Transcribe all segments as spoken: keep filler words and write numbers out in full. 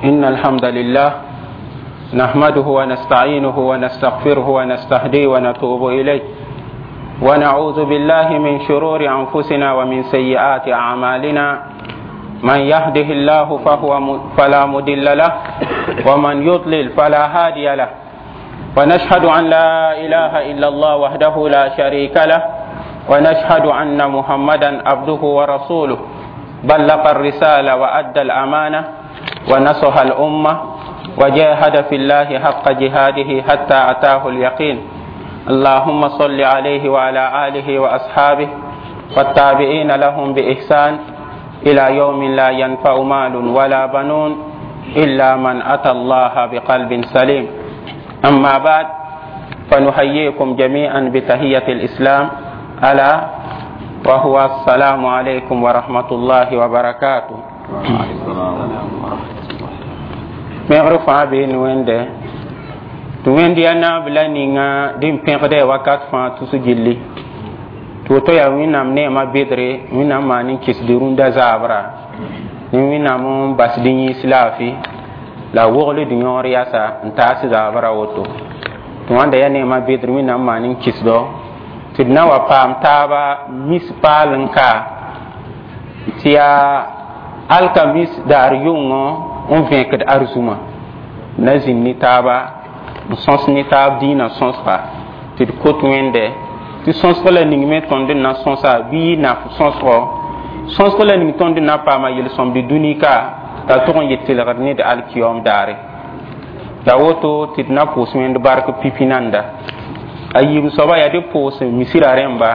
إن الحمد لله نحمده ونستعينه ونستغفره ونستهديه ونتوب إليه ونعوذ بالله من شرور أنفسنا ومن سيئات أعمالنا من يهده الله فهو م... فلا مضل له ومن يضلل فلا هادي له ونشهد أن لا إله إلا الله وحده لا شريك له ونشهد أن محمدا عبده ورسوله بلغ الرسالة وأدى الأمانة ونصح الأمة وجاهد في الله حق جهاده حتى أتاه اليقين اللهم صل عليه وعلى آله وأصحابه والتابعين لهم بإحسان إلى يوم لا ينفع مال ولا بنون إلا من أتى الله بقلب سليم أما بعد فنحييكم جميعا بتحية الإسلام ألا وهو السلام عليكم ورحمة الله وبركاته Pẽgr fãa bee ne wẽnde tɩ wẽnd yaa naab la ninga dĩn pẽgda wakat fãa tus gilli tɩ woto yaa Wẽnnaam neemã bedre Wẽnnaam maan n kɩsd rũndã zaabra ne Wẽnnaam n basd yĩns laafɩ la a wogl d yõor yasa n taas zaabra woto tɩ wãnda yaa neemã bedr Wẽnnaam maan n kɩsdo tɩ d na wa paam taaba mis paal n ka tɩ yaa alkamis daar yʋngõ n vẽkd arzũma na zĩnd ne taaba n sõs ne taab dĩinã sõsga tɩ d kot Wẽnde tɩ sõsg la ning me tõnd n na sõsa bɩ yɩ naf sõsgo sõsg la ning tõnd n na paama yel-sõmd dũni ka t'a tʋg n yɩ tɩlgd ne d alkiyom daare la woto tɩ d na pʋʋs Wẽnd bark pipi nanda a yiib soaba yaa dɩ pʋʋs misira rẽmba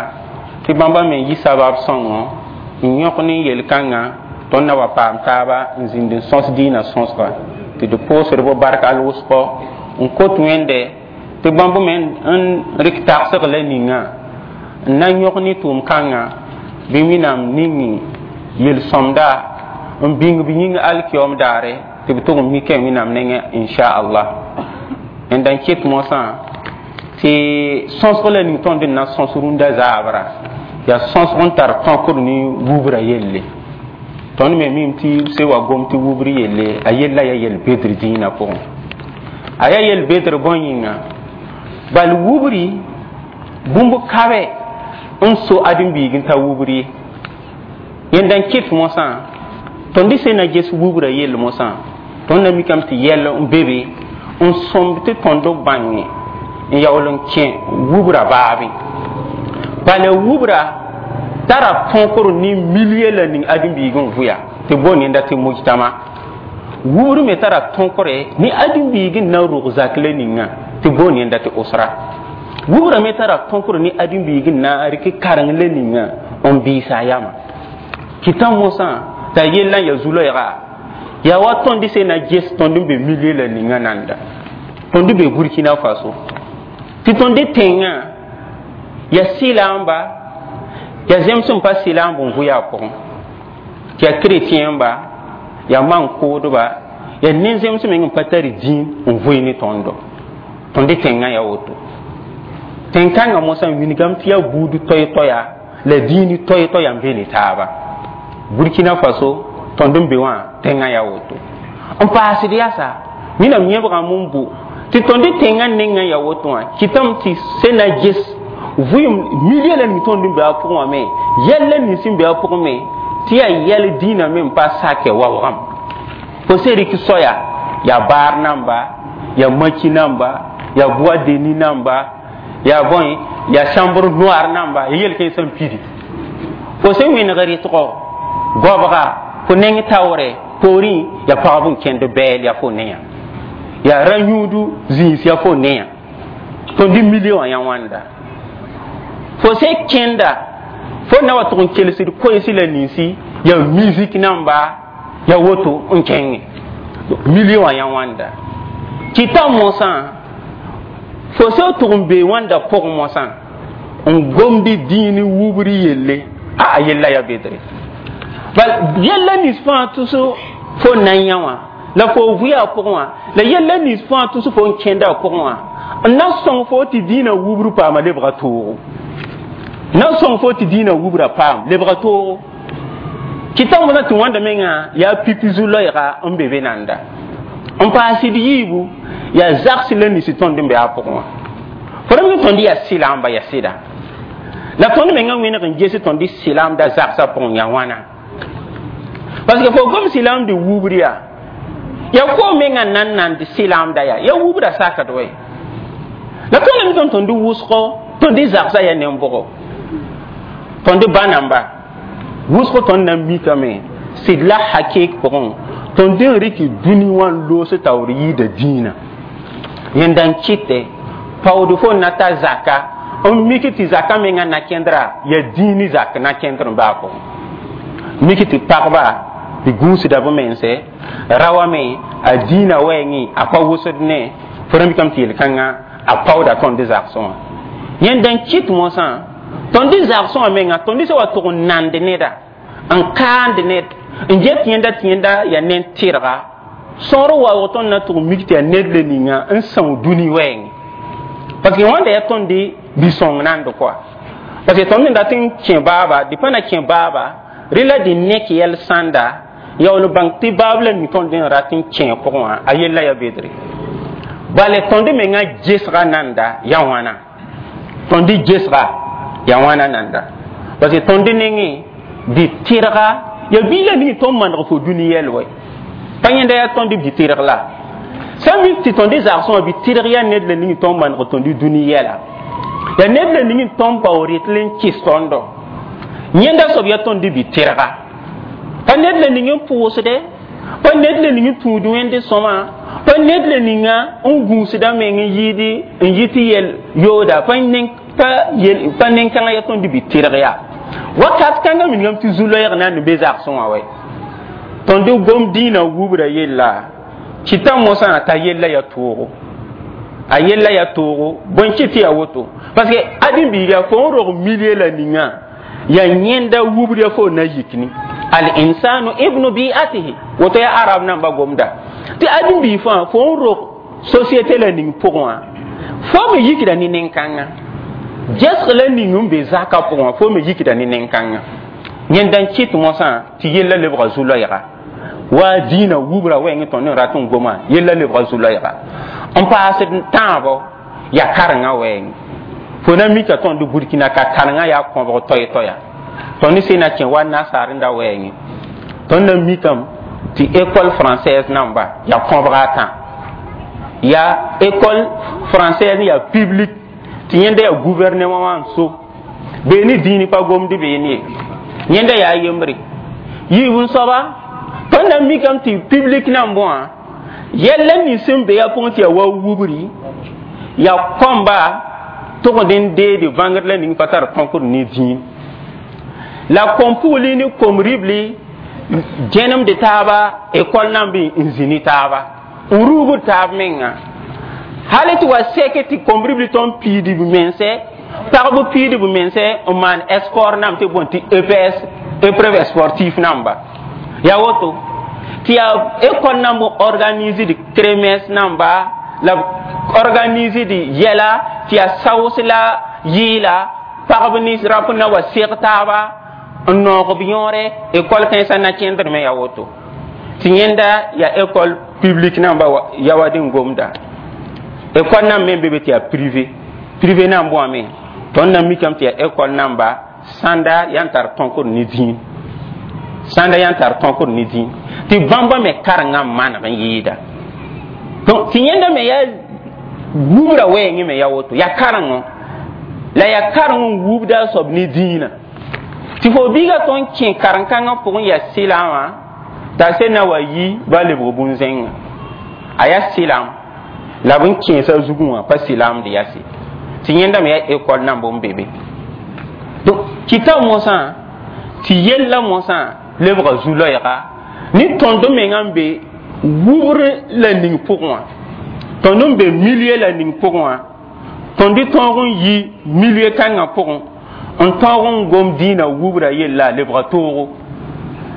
tɩ bãmba me yi sabab sõngo n yõk ne yel-kãngã tõnd na wa paam taaba n zĩnd n sõs dĩinã sõsga tɩ d pʋʋsd bo bark al-wʋsgɔ n kot Wẽnde tɩ bãmb me n rɩk tagsg la ninga n na yõk ne tʋʋm-kãngã bɩ Wẽnnaam ning yel-sõmda n bĩng b yĩng alkiyoom daare tɩ b tʋg n mika Wẽnnaam nengẽ inchallah n dan ket mosã tɩ sõsg la ning tõnd n na sõs rũndã zaabra yaa sõsg n tar tõkd ne wubra yelle tõnd me mim tɩ se wa gom tɩ wubr yelle a yella yaa yel bedr dĩinã pʋgẽ a yaa yel bedr bõe yĩnga bal wubri bũmb kabe n so ãdem-biig n ta wubr ye yẽnda n kɩt mosã tõnd sẽn na ges wubra yell mosã tõnd na mikame tɩ yɛl n be be n sõmb tɩ tõnd bãnge n yaool n kẽ wubra baabe bala wubra tara tõkr ne milie la ning ãdem-biig n vʋya tɩ boond yẽnda tɩ mujtama wubr me tara tõkre ne ãdem-biig n na rog zak la ninga tɩ boond yẽnda tɩ osra wubra me tara tõkr ne ãdem-biig n na rɩk kareng la ninga n biisa a yama kɩta mosã t'a yella n ya zu-loɛɛga yaa wa tõnd sẽn na ges tõnd n be milie la ninga nanda tõnd be Burkina Faso tɩ tõnd tẽngã ya sɩlaamba ya zems n pa sɩlaamb n vʋya a pʋgẽ tɩ ya chrétien ba ya man-koodba ya nin-zems meng n pa tari dĩin n vʋɩ ne tõndo tõnd tẽngã ya woto tẽn-kãngã mosã wilgame tɩ yaa buud toɛ-toɛya la dĩin toɛ-toɛya n be ne taaba Burkina Faso tõnd n be wã tẽngã yaa woto n paasd yasa Wẽnnaam yẽbgame n bo tɩ tõnd tẽngã nengã yaa woto wã kɩtame tɩ sẽn na ges vʋɩem milie la ning tõnd n be a pʋgẽ wã me yɛl la nins n be a pʋgẽ me tɩ yaa yɛl dĩinã me n pa sakɛ waoogame fo sẽn rɩk soaya yaa baar namba yaa maki namba yaa bois de nuit namba yaa bõe yaa chambre noire namba ya yel kẽensã n pidi fo sẽn wẽneg rɩtgɔ goabga fo neng taoore poorẽ yaa pagb n kẽnd bɛɛl yaa fo ne yã yaa ra-yũudu zĩis yaa fo ne yã tõnd milie wã yã wãnda fo sẽn kẽnda fo na wa tʋg n kelsd koɛɛsi la ninsi yaa musique namba yaa woto n kẽngẽ milie wã yã wãnda kɩta mosã fo sẽn tʋg n bee wãnda pʋgẽ mosã n gomd dĩin wubr yelle a a yella yaa bedre bal yella nins fãa tʋs fo nan yã wã la fo vʋya a pʋgẽ wã la yella nins fãa tʋs fo n kẽnda a pʋgẽ wã n na sõng fo tɩ dĩinã wubr paama lebga toogo na sõng fo tɩ dĩinã wubra paam lebga toogo kɩta wãna tɩ wãnda mengã yaa pipi zu-loɛɛga n be be nanda N paasd yiibu yaa zags la nins tõnd n be a pʋgẽ wã. Fo ra mi tõnd yaa sɩlaamba, yaa sɩda, la tõnd menga wẽneg n ges tõnd sɩlaamda zagsã pʋgẽ yaa wãna? Parce que fo gom sɩlaamd wubr yaa ya ko menga nan nand sɩlaamda yaa ya wubra sakd wɛ. La tõnd mi tõnd tõnd wʋsgo, tõnd zagsã yaa nen-bʋgo, tõnd ba namba wʋsgo. Tõnd na n mikame sɩd la hakɩɩk pʋgẽ tõnd n rɩk dũni wã n loos taoor yɩɩda dĩinã. Yẽnda n kɩtɛ paood fo na ta zaka n mik tɩ zaka menga na kẽndra yaa dĩini zak na kẽndr n baa pʋgẽ, mik tɩ pagba tɩ gũusda b mense ra wame a dĩinã wɛɛngẽ a pa wʋsd ne fo ra mikame tɩ yel-kãngã a paooda tõnd zagsẽ wã. Yẽnda n kɩt mosã tõnd zagsẽ wã menga tõnd sã wa tʋg n nand neda n kaand ned n get yẽnda tɩ yẽnda yaa nen tɩrga sõor waoog. Tõnd na tʋg mik tɩ yaa ned le ninga n são dũni wɛɛngẽ, parce que wãnda yaa tõnd bi-sõng nand koa, parce que tõnd n dat n kẽ baaba dɩ pa na kẽ baaba rẽ la dɩ nek yɛl sãnda yaool bãng tɩ baab la ning tõnd n rat n kẽ pʋgẽ wã a yella ya bedre. Bale tõnd menga gesga nanda ya wãna, tõnd gesga ya wãna nanda, parce que tõnd nengẽ dɩ tɩrga ya bii la ning tõnd maneg fo dũni yɛl wɛ pa yẽnda yaa tõnd bɩ tɩrg la sã n mik tɩ tõnd zagsẽ wã bɩ tɩrg yaa ned la ning tõnd maneg tõnd dũni yɛla yaa ned la ning tõnd bao rɩtl n kɩs tõndo. Yẽnda soab yaa tõnd bɩ tɩrga pa ned la ning n pʋʋsde, pa ned la ning n tũud wẽnd sõma, pa ned la ninga n gũusda meng n yɩɩd n yɩ tɩ yɛl yooda pa pa nen-kãngã yaa tõnd bɩ tɩrg yaa wakat kãngã mingame tɩ zu-loɛɛg na n be zagsẽ wã wɛ. Tõnd gom dĩinã wubra yella kɩta mosã t'a yella ya toogo, a yella ya toogo bõe kɩ tɩ ya woto? Parce que ãdem-biiga fo n rog milieu la ninga ya yẽnda wubr ya fo na yikni. Al insanu ibnu bi'atihi, woto ya arab namba gomda tɩ ãdem-biig fãa fo n rog société la ning pʋgẽ wã fo me yikda ne nen-kãngã gesg la ning n be zaka pʋgẽ wã fo me yikda ne nen-kãngã. Yẽnda n kɩt mosã tɩ yella lebga zu-loɛɛga wa dĩinã wubra wɛɛngẽ tõnd n rat n goma yella lebga zu-loɛɛga n paasd tãabo yaa karengã wɛɛngẽ. Fo na mika tõnd Burkina ka karengã yaa kõbg toɛ-toɛya. Tõnd sẽn na kẽ wa nasaar n da wɛɛngẽ, tõnd na mikame tɩ école française namba yaa kõbga a tã, yaa école française yaa public tɩ yẽnda yaa gouvernement wã n so bee ne dĩini pa gomd bee ne yẽnda yaa yembre. Yiib n soaba tõnd na mikame tɩ public nan bõa yɛl la nins sẽn be yaa pʋgẽ tɩ yaa wa wubri yaa kõmba tʋgd n deede bãngd la ning pa tar tõkd ne dĩin la kom-pugli ne kom-ribli gẽnemd taaba école nan bɩ n zĩ ne taaba n ruubd taab menga hal tɩ wa sɛk tɩ kom-ribli tõnd piid b mense, pagb piid b mense n maan sport nam tɩ bõn tɩ E P S, épreuve sportif namba yaa woto tɩ yaa école namb organise d kermesse namba la organise d yɛla tɩ yaa saoos la yɩɩla pagb ne rãmp na wa seg taaba n noog b yõore. École kãensã na kẽndr me yaa woto tɩ yẽnda yaa école publique namba yawad n gomda. École nan me be be tɩ yaa privé, privé nan bõame tõnd na mikame tɩ yaa école namba sãnda yaa n tar tõkd ne dĩin, sãnda yaa n tar tõkd ne dĩin tɩ bãmba me karengã maneg n yɩɩda. Donc tɩ yẽnda me yaa wubra wɛɛngẽ me yaa woto yaa karengo la yaa kareng n wubda a soab ne dĩinã tɩ fo biiga tõnd kẽ karen-kãngã pʋgẽ yaa sɩlaamã t'a sẽn na wa yi ba lebg bũn-zẽngã a yaa sɩlaam la b n kẽesa zugẽ wã pa sɩlaamd yase tɩ yẽnda me yaa école nan bõn be be. Donc kɩta mosã tɩ yella mosã lebga zu-loɛɛga ne tõnd mengã n be wubr la ning pʋgẽ wã, tõnd n be milieu la ning pʋgẽ wã, tõnd tõog n yi milieu kãngã pʋgẽ n tõog n gom dĩinã wubra yella lebga toogo,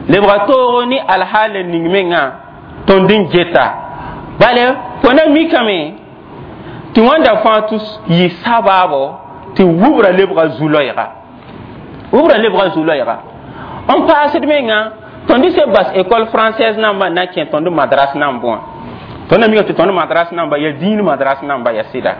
lebga toogo ne alhaal ning mengã tõnd n geta. Bale fo na mikame tɩ wãnda fãa tɩ yɩ sabaabo tɩ wubra lebga zu-loɛɛga, wubra lebga zu-loɛɛga n paasd menga. Tõnd se bas école française namba na kẽ tõnd madras nan bõa. Tõnd na mika tɩ tõnd madras namba yaa dĩin madras namba yaa sɩda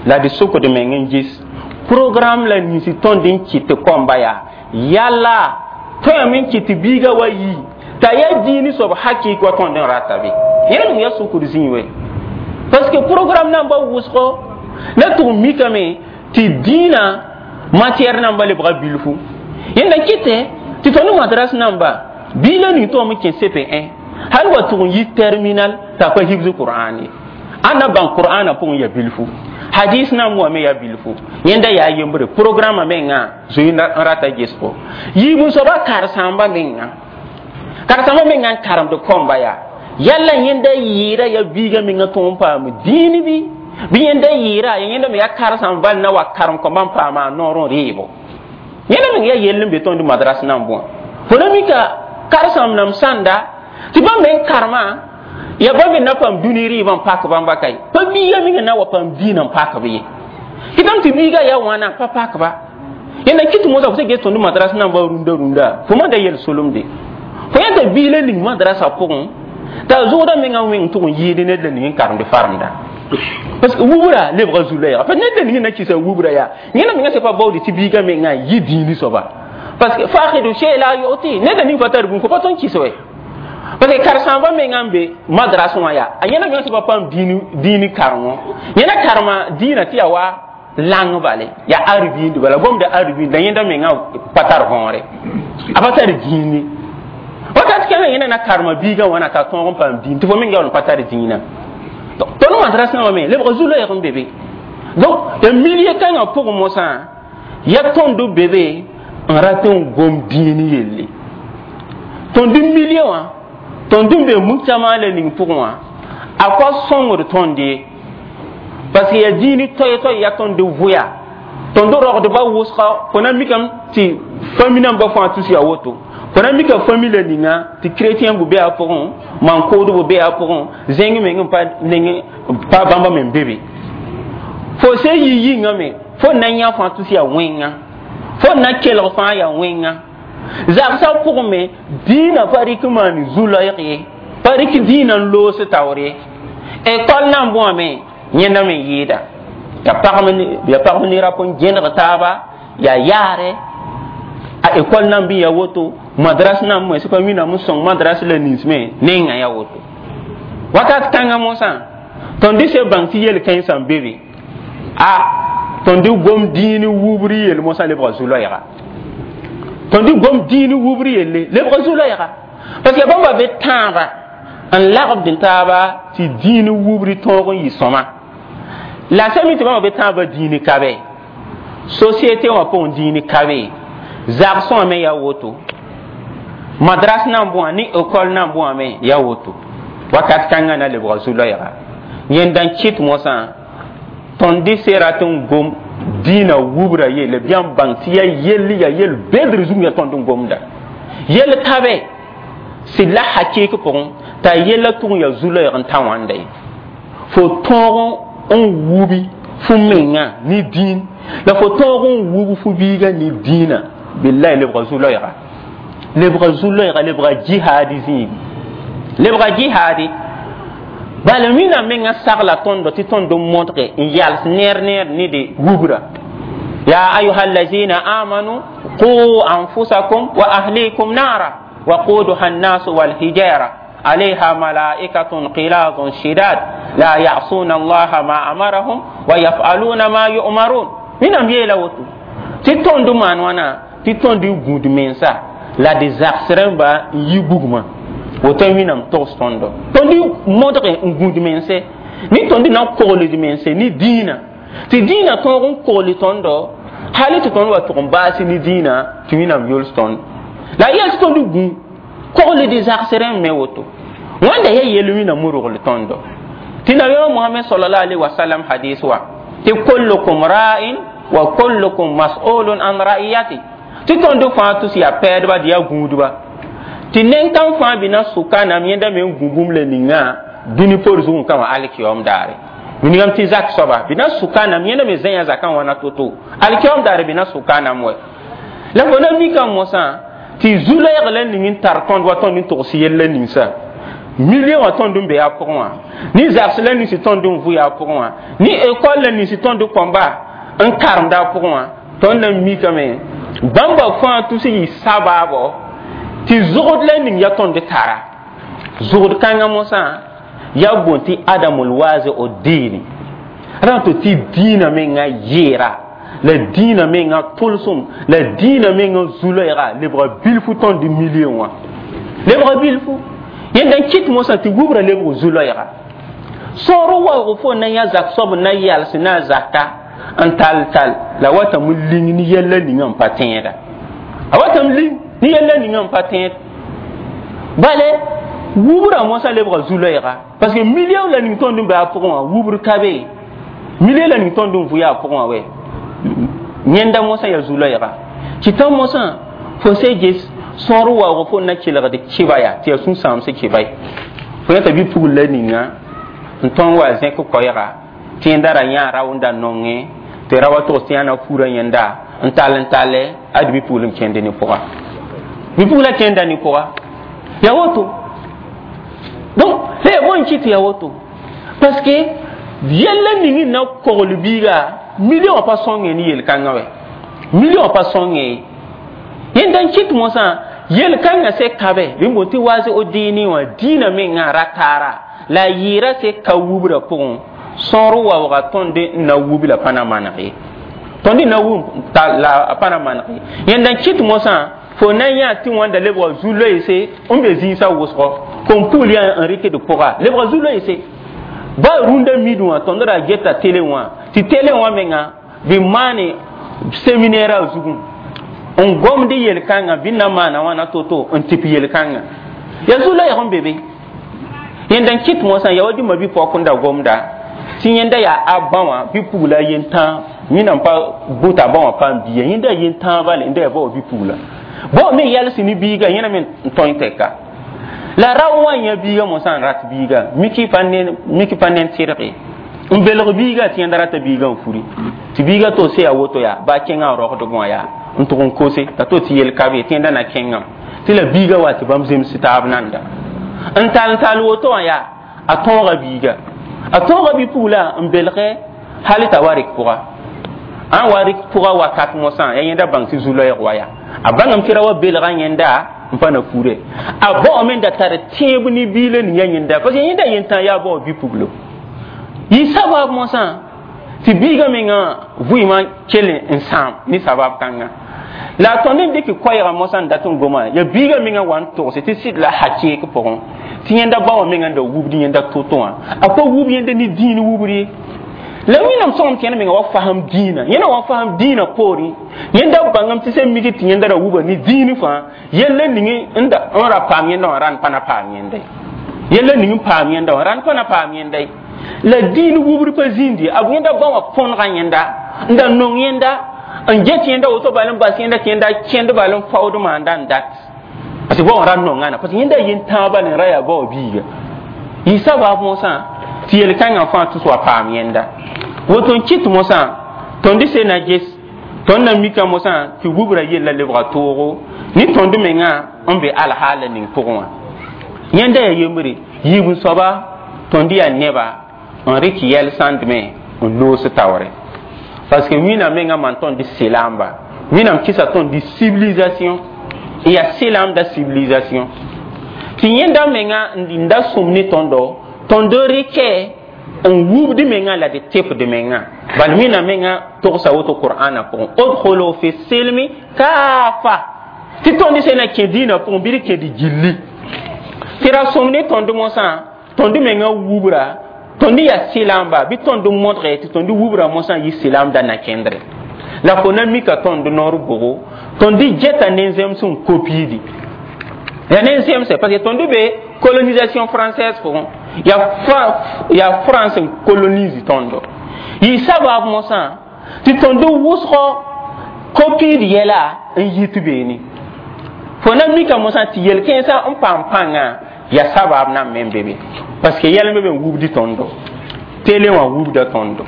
la d sokd meng n gis programme la nins tõnd n kɩt tɩ kõmba yaa yalla tõeme n kɩt tɩ biiga wa yi t'a yaa dĩin soab hakɩk wa tõnd n rata be yẽna meng yaa sukr zĩig we parce que programme namba wʋsgo la tʋg mikame tɩ dĩinã matière namba lebga bilfu yẽnda kɩtɛ tɩ tõnd madras namba bii la ning tõem n kẽ C P un hal wa tʋg n yi terminal t'a pa hibs Qur'an ye ãnda bãng Qur'ana pʋgẽ ya bilfu hadis nan wã me yaa bilfu yẽnda yaa yembre programme mengã zoe n rata gesgo yiib soaba karen-saamba menga karen-saamba menga n karemd kõmba yaa yalla yẽnda yɩɩra ya biiga menga tõog n paam dĩin bɩ bɩ yẽnda yɩɩra ya yẽnda me yaa karen-sãmb val na wa karem kõmba n paama a noor n reebo yẽnda meng yaa yell n be tõnd madras nan bõa fo na mika karen-sãmb nam sãnda tɩ bãmb me n karema ya ba me na paam dũni rɩɩbã n pak bãmba kae pa biiga menga na wa paam dĩinã n pakb ye kɩtame tɩ biiga yaa wãna pa pakba yẽnda kɩt mosã fo sẽn ges tõnd madras namba rũndã rũndã fo manda yel solemde fo yãta bii la ning madrasã pʋgẽ t'a zʋgda menga wẽng tʋg n yɩɩd ned la ning n karemd faremda parce que wubra lebga zu-loɛɛga parce que ned la ning na kɩsa wubra yaa yẽna menga sẽn pa baoode tɩ biiga menga yɩ dĩini soaba parce que faqidu shay la yu'ti ned la ning pa tar bũmb fo pa tõnd kɩs wɛ parce que karen-sãambã menga n be madras wã yaa a yẽna menga sẽn pa paam dĩini karengo yẽna karema dĩinã tɩ yaa wa lang bale yaa arbind bala gomda arbind la yẽnda menga pa tar võore a pa tar dĩini wakat kãngã yẽna na karema biigã wãna t'a tõog n paam dĩin tɩ fo meng yaool n pa tar dĩinã tõnd madras nambã me lebg zu-loɛɛg n be be donc ya milieu kãngã pʋgẽ mosã ya tõnd be be n rat n gom dĩin yelle tõnd milieu wã tõnd n be mujtama la ning pʋgẽ wã a pa sõngd tõnd ye parce que ya dĩini toɛ-toɛ ya tõnd vʋya tõnd rogdba wʋsga fo na mikame tɩ famille nambã fãa tus yaa woto fo na mika famille la ninga tɩ chrétien bʋ be a pʋgẽ maan-koodb be a pʋgẽ zẽng meng n pa neng pa bãmba me n be be fo se yi yĩngã me fo na yã fãa tus yaa wẽnga fo na kelg fãa yaa wẽnga zagsã pʋgẽ me dĩinã pa rɩk n maan zu-loɛɛg ye pa rɩk dĩinã n loos taoor ye école nan bõame yẽnda me yɩɩda ya pagm ya pagm ne rap n gẽneg taaba yaa yaare a école nan bɩ ya woto madras nan moe sẽn pa wĩnam n sõng madras la nins me nengã ya woto wakat kãngã mosã tõnd se bãng tɩ yel-kãensã n be be a tõnd gom dĩin wubr yel mosã lebga zu-loɛɛga tõnd gom dĩin wubr yelle lebga zu-loɛɛga parce que bãmba be tãaba n lagd n taaba tɩ dĩin wubr tõog n yɩ sõma la sẽn mi tɩ bãmba be tãabã dĩin ka be société wã pʋgẽ dĩin ka be zagsẽ me yaa woto madras nan bõa ne école nan bõa me yaa woto wakat kãngã na lebga zu-loɛɛga yẽnda n kɩt mosã tõnd se rat n gom dĩinã wubra yelle bɩ n bãng tɩ yaa yell yaa yel bedr zug yaa tõnd n gomda yell ka be sɩd la hakɩɩk pʋgẽ t'a yella tʋg n yaa zu-loɛɛg n ta wãnda ye fo tõog n wubi fo menga ne dĩin la fo tõog n wub fo biiga ne dĩinã billahi lebga zu-loɛɛga lebga zu-loɛɛga lebga jihaadi zĩigi lebga jihaadi bala wĩnnaam menga sagla tõndo tɩ tõnd n modge n yals neer neer ne de wubra ya ayuha allazina amanu qu anfusakum wa ahlikum nara waquduha annasu walhijara عليها ملائكة غلاظ شداد لا يعصون الله ما أمرهم ويفعلون ما يؤمرون wẽnnaam yeela woto tɩ tõnd maan wãna tɩ tõnd n gũud mensa la d zags rãmba n yi bugmã woto wẽnnaam togs tõndo tõnd modge n gũud mense ne tõnd na n kogld mense ne dĩinã tɩ dĩinã tõog n kogl tõndo hali tɩ tõnd wa tʋg n baas ne dĩinã tɩ wẽnnaam yols tõnd la yɛl tɩ tõnd gũ kogld zags rãmb me woto wãnda yaa yel wẽnnaam rogl tõndo tɩ nabiyaamã Mohamɛd sallallahu alaihi wasallam hadis wa tɩ kullukum ra'in wa kullukum mas'ulun an ra'iyati tɩ tõnd fãa tʋs yaa pɛɛdba dɩ yaa gũudba tɩ nen-kãng fãa bɩ na sʋka nam yẽnda me n gũ bũmb la ninga dũni por zugẽ kã wã alkiyaoom daare wilgame tɩ zak soaba bɩ na sʋka nam yẽnda me zẽya zakã wãna to-to alkiyaoom daare bɩ na sʋka nam wɛ la fo na mika mosã tɩ zu-loɛɛg la ning n tar tõnd wa tõnd n togs yella ninsa Milieu wã tõnd n be a pʋgẽ wã ne zags la nins tõnd n vʋ a pʋgẽ wã ne école la nins tõnd kõmba n karemda a pʋgẽ wã tõnd na mikame bãmba fãa tus yɩ sabaabo tɩ zogd la ning ya tõnd tara zogd kãngã mosã ya boond tɩ adamul waze o diini rã to tɩ dĩinã menga yɩɩra la dĩinã menga tʋlsem la dĩinã menga zu-loɛɛga lebga bilfu tõnd milieu wã lebga bilfu yẽnda n kɩt mosã tɩ wubra lebg zu-loɛɛga sõor waoog fo na yã zak soab n na yals na a zaka n tall tall la watame ling ne yɛlla ninga n pa tẽeda a watame ling ne yɛlla ninga n pa tẽed bale wubra mosã lebga zu-loɛɛga parce que milieu la ning tõnd n be a pʋgẽ wã wubr ka be milieu la ning tõnd n vʋ yaa pʋgẽ wã wɛ yẽnda mosã yaa zu-loɛɛga tɩ tã mosã fo se ges sõor waoog fo na kelgd kɩba yaa tɩ yaa sũ-sãamsẽ kɩba ye fo yãta bɩ pugl la ninga n tõnd wa zẽk koɛɛga tɩ yẽnda ra yã rao n da nongẽ tɩ ra wa togs tɩ yãna furã yẽnda n tall n talle ad bɩ pugl n kẽnd ne pʋga bɩ pugla kẽnda ne pʋga ya woto donc la ya bõe kɩ tɩ ya woto parce que yɛlla ning n na kogl biiga million wã pa sõngẽ ne yel-kãngã wɛ million wã pa sõngẽ yẽnda n kɩt mosã yel-kãngã se kabe bɩ n boond tɩ waase o dĩini wã dĩinã mengã ra taara la a yɩɩra se ka wubra pʋgẽ sõor waooga tõnd n na wub la pa na maneg ye tõnd n na wub la pa na maneg ye yẽnda n kɩt mosã fo na yã tɩ wãnda lebga zu-loeese n be zĩisã wʋsgɔ kom pugl yaa n rɩkd pʋga lebga zu-loeese ba rũndã mid wã tõnd ra geta télé wã tɩ télé wã menga bɩ maane séminaire a zugẽ n gomd yel-kãngã bɩ na maana wãna to-to n tɩp yel-kãngã yaa zu-loɛɛg n be be yẽnda n kɩt mosã yaa wa dĩmã bɩ pɔk n da gomda tɩ yẽnda yaa a bã wã bɩ pugla a yen-tãa wẽnnaam pa bʋta bã wã paam bia yẽnda yaa yen-tãa bale n da yaa ba wã bɩ pugla bao me yals ne biiga yẽna me n tõe tɛka la rao wã yã biiga mosã n rat biiga miki pa miki pa nen tɩrge n belg biiga tɩ yẽnda rata biiga n furi tɩ biiga to se yaa woto yaa ba kẽngã a rogdg wã yaa n tʋg n kose t'a to tɩ yel ka be tɩ yẽnda na kẽngame tɩ la biiga wa tɩ bãmb zems taab nanda n tall n tall woto wã yaa a tõoga biiga a tõoga bi-pugla n belge hal t'a wa rɩk pʋga ãn wa rɩk pʋga wakat mosã yaa yẽnda bãng tɩ zu-loɛɛg wa yaa a bãngame tɩ ra wa belga yẽnda n pa na fure a baoome n da tar tẽeb ne biilã ning ya yẽnda parce que yẽnda yentã yaa bao bi-puglo yɩ sabab mosã tɩ biigã mengã vɩɩmã kell n sãam ne sabab kãnga la a tõnd n dɩk koɛɛgã mosã n dat n goma yaa biigã mengã wa n togse tɩ sɩd la hakeek pʋgẽ tɩ yẽnda ba wã mengã n da wubd yẽnda to-to wã a pa wub yẽnda ne dĩin wubr ye la wẽnnaam sõgem tɩ yẽnd menga wa fasem dĩinã yẽnda wa fasem dĩinã poorẽ yẽnda bãngame tɩ sẽn mik tɩ yẽnda ra wuba ne dĩin fãa yella ning n ra paam yẽnda wã rãnd pa na paam yẽnda ye yella ning n paam yẽnda wã rãnd pa na paam yẽnda ye la dĩin wubr pa zĩndi a yẽnda ba wã põnega yẽnda n da nong yẽnda n get yẽnda woto bal n bas yẽnda tɩ yẽnda kẽnd bal n faood maanda n dat parce que ba wã ra nongãna parce que yẽnda yen-tãag bal n ra yaa ba wã biiga yɩ sabab mosã tɩ yel-kãngã fãa tus wa paam yẽnda woto n kɩt mosã tõnd se na ges tõnd na mika mosã tɩ wubra yella lebga toogo ne tõnd mengã n be alhaala ning pʋgẽ wã yẽnda yaa yembre yiib n soaba tõnd yaa neba n rɩk yɛl sãndme n loos taoore parce que wĩnnaam mengã maan tõnd selamba wĩnnaam kɩsa tõnd civilisation n yaa selamda civilisation tɩ yẽnda menga n da sõm ne tõndo tõnd rɩkɛ n wubd menga la d tepd menga bal wẽnnaam menga togsa woto qur'ana pʋgẽ udkhulu fi silmi kafa tɩ tõnd sẽn na kẽ dĩinã pʋgẽ bɩ d kẽd gilli tɩ ra sõm ne tõnd mosã tõnd menga wubra tõnd yaa selamba bɩ tõnd modge tɩ tõnd wubra mosã yɩ selamda na kẽndre la fo na mika tõnd noor bogo tõnd geta nen-zems n kopiidi ya nen-zemse parce que tõnd be colonisation française pʋgẽ yaa France n colonise tõndo yɩ sabab mosã tɩ tõnd wʋsgɔ kopiid yɛla n yit beene fo na mika mosã tɩ yel-kẽensã n paam pãngã yaa sabab nan me n be be parce que yɛl n be be n wubdi tõndo télé wã wubda tõndo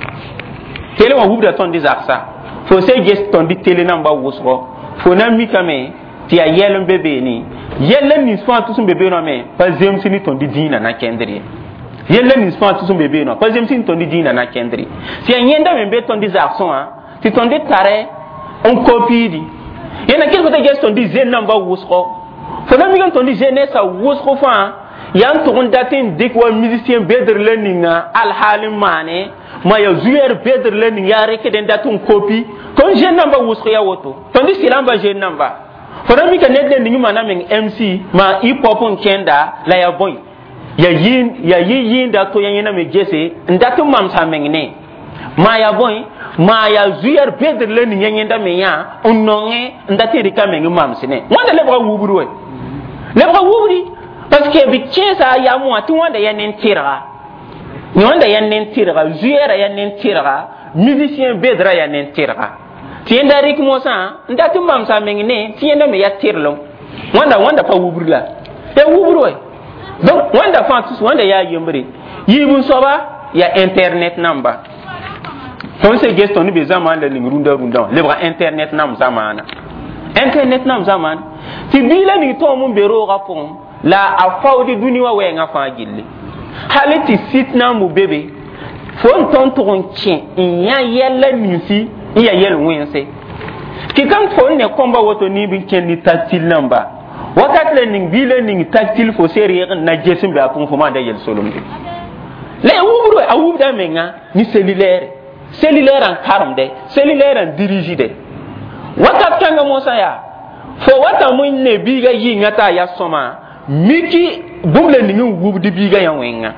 télé wã wubda tõnd zaksa fo se ges tõnd télé namba wʋsgɔ fo na mikame tɩ yaa yɛl n be beene Yɛlla nins fãa tʋs n be beene wã me pa zemsi ne tõnd dĩinã na kẽndr ye. Yɛlla nins fãa tʋs n be beene wã pa zemsi ne tõnd dĩinã na kẽndr ye. Tɩ yaa yẽnda me n be tõnd zagsẽ wã tɩ tõnd tare n kopiidi. Yẽnda kɩs t'a ges tõnd zen-nambã wʋsgo. Fo na mik n tõnd jeunesse wʋsg fãa yaa n tʋg n dat n dɩk wa musicien bedr la ninga alhaal n maane ma ya zuyɛr bedr la ning yaa rekd n dat n kopi tõnd jeune nambã wʋsg ya woto tõnd sɩlãmbã jeune namba. Fo na mika ned la ning maana meng M C ma hip hop n kẽnda la ya bõe ya yɩ yɩɩnda to ya yẽna me gese n dat n mamsa meng ne maa ya bõe maa ya zuyɛr bedr la ning ya yẽnda me yã n nongẽ n dat n rɩka meng n mams ne wãnda lebga wubr we lebga wubri parce que b kẽesa yam wã tɩ wãnda ya nen-tɩrga wãnda ya nen-tɩrga zuyɛra ya nen-tɩrga musicien bedra ya nen-tɩrga tɩ yẽnda rɩk mosã n dat n mamsa meng ne tɩ yẽnda me ya tɩrlem wãnda wãnda pa wubr la ya wubr we. Donc wãnda fãa tus wãnda yaa yembre yiib n soaba ya internet namba tõnd se ges tõnd be zamaan la ning rũndã rũndã wã lebga internet nam zamaana internet nam zamaana tɩ bii la ning tõom n be roogã pʋgẽ la a faoodi dũni wã wɛɛngã fãa gilli hali tɩ sit na n bu be be fo n tõnd tʋg n kẽ n yã yɛlla ninsi n ya yɛl wẽnse kɩkam fo n ne kõmba woto niib n kẽnd ne tactile namba wakat la ning bii la ning tactile fo se reeg n na ges n be a pʋgẽ fo maanda yel-solemde la ya wubr a wubda menga ni cellulaire cellulaire n karemde cellulaire n dirigide wakat kãngã mosã yaa fo watame n ne biiga yɩnga t'a ya sõma miki bũmb la ning n wubd biiga yã wẽnga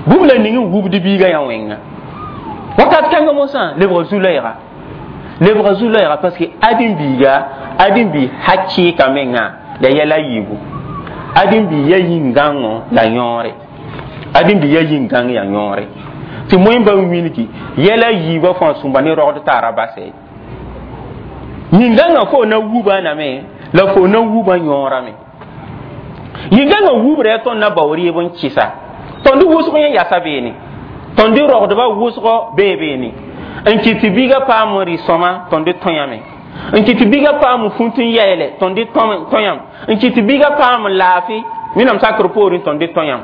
bũmb la ning n wubd biiga yã wẽnga wakat kãngã mosã lebga zu-loɛɛga lebga zu-loɛɛga parce que ãdem biiga ãdem bi hakɩɩka menga la yɛla yiibu ãdem bi ya yĩn-gãngo la yõore ãdem bi ya yĩn-gãng ya yõore tɩ moẽ ba wilgi yɛla yiibã fãa sũmba ne rogd taara basɛ yĩn-gãngã fo na wuba name la fo na wuba yõorame yĩn-gãngã wubra ya tõnd na bao rɩɩb n kɩsa tõnd wʋsg yẽ yasa beene tõnd rogdbã wʋsgɔ bee beene n kɩt tɩ biigã paam n rɩ sõma tõnd tõyame n kɩt tɩ biigã paam fũt n yɛɛlɛ tõnd tõyam n kɩt tɩ biigã paam laafɩ wẽnnaam sakr poorẽ tõnd tõyam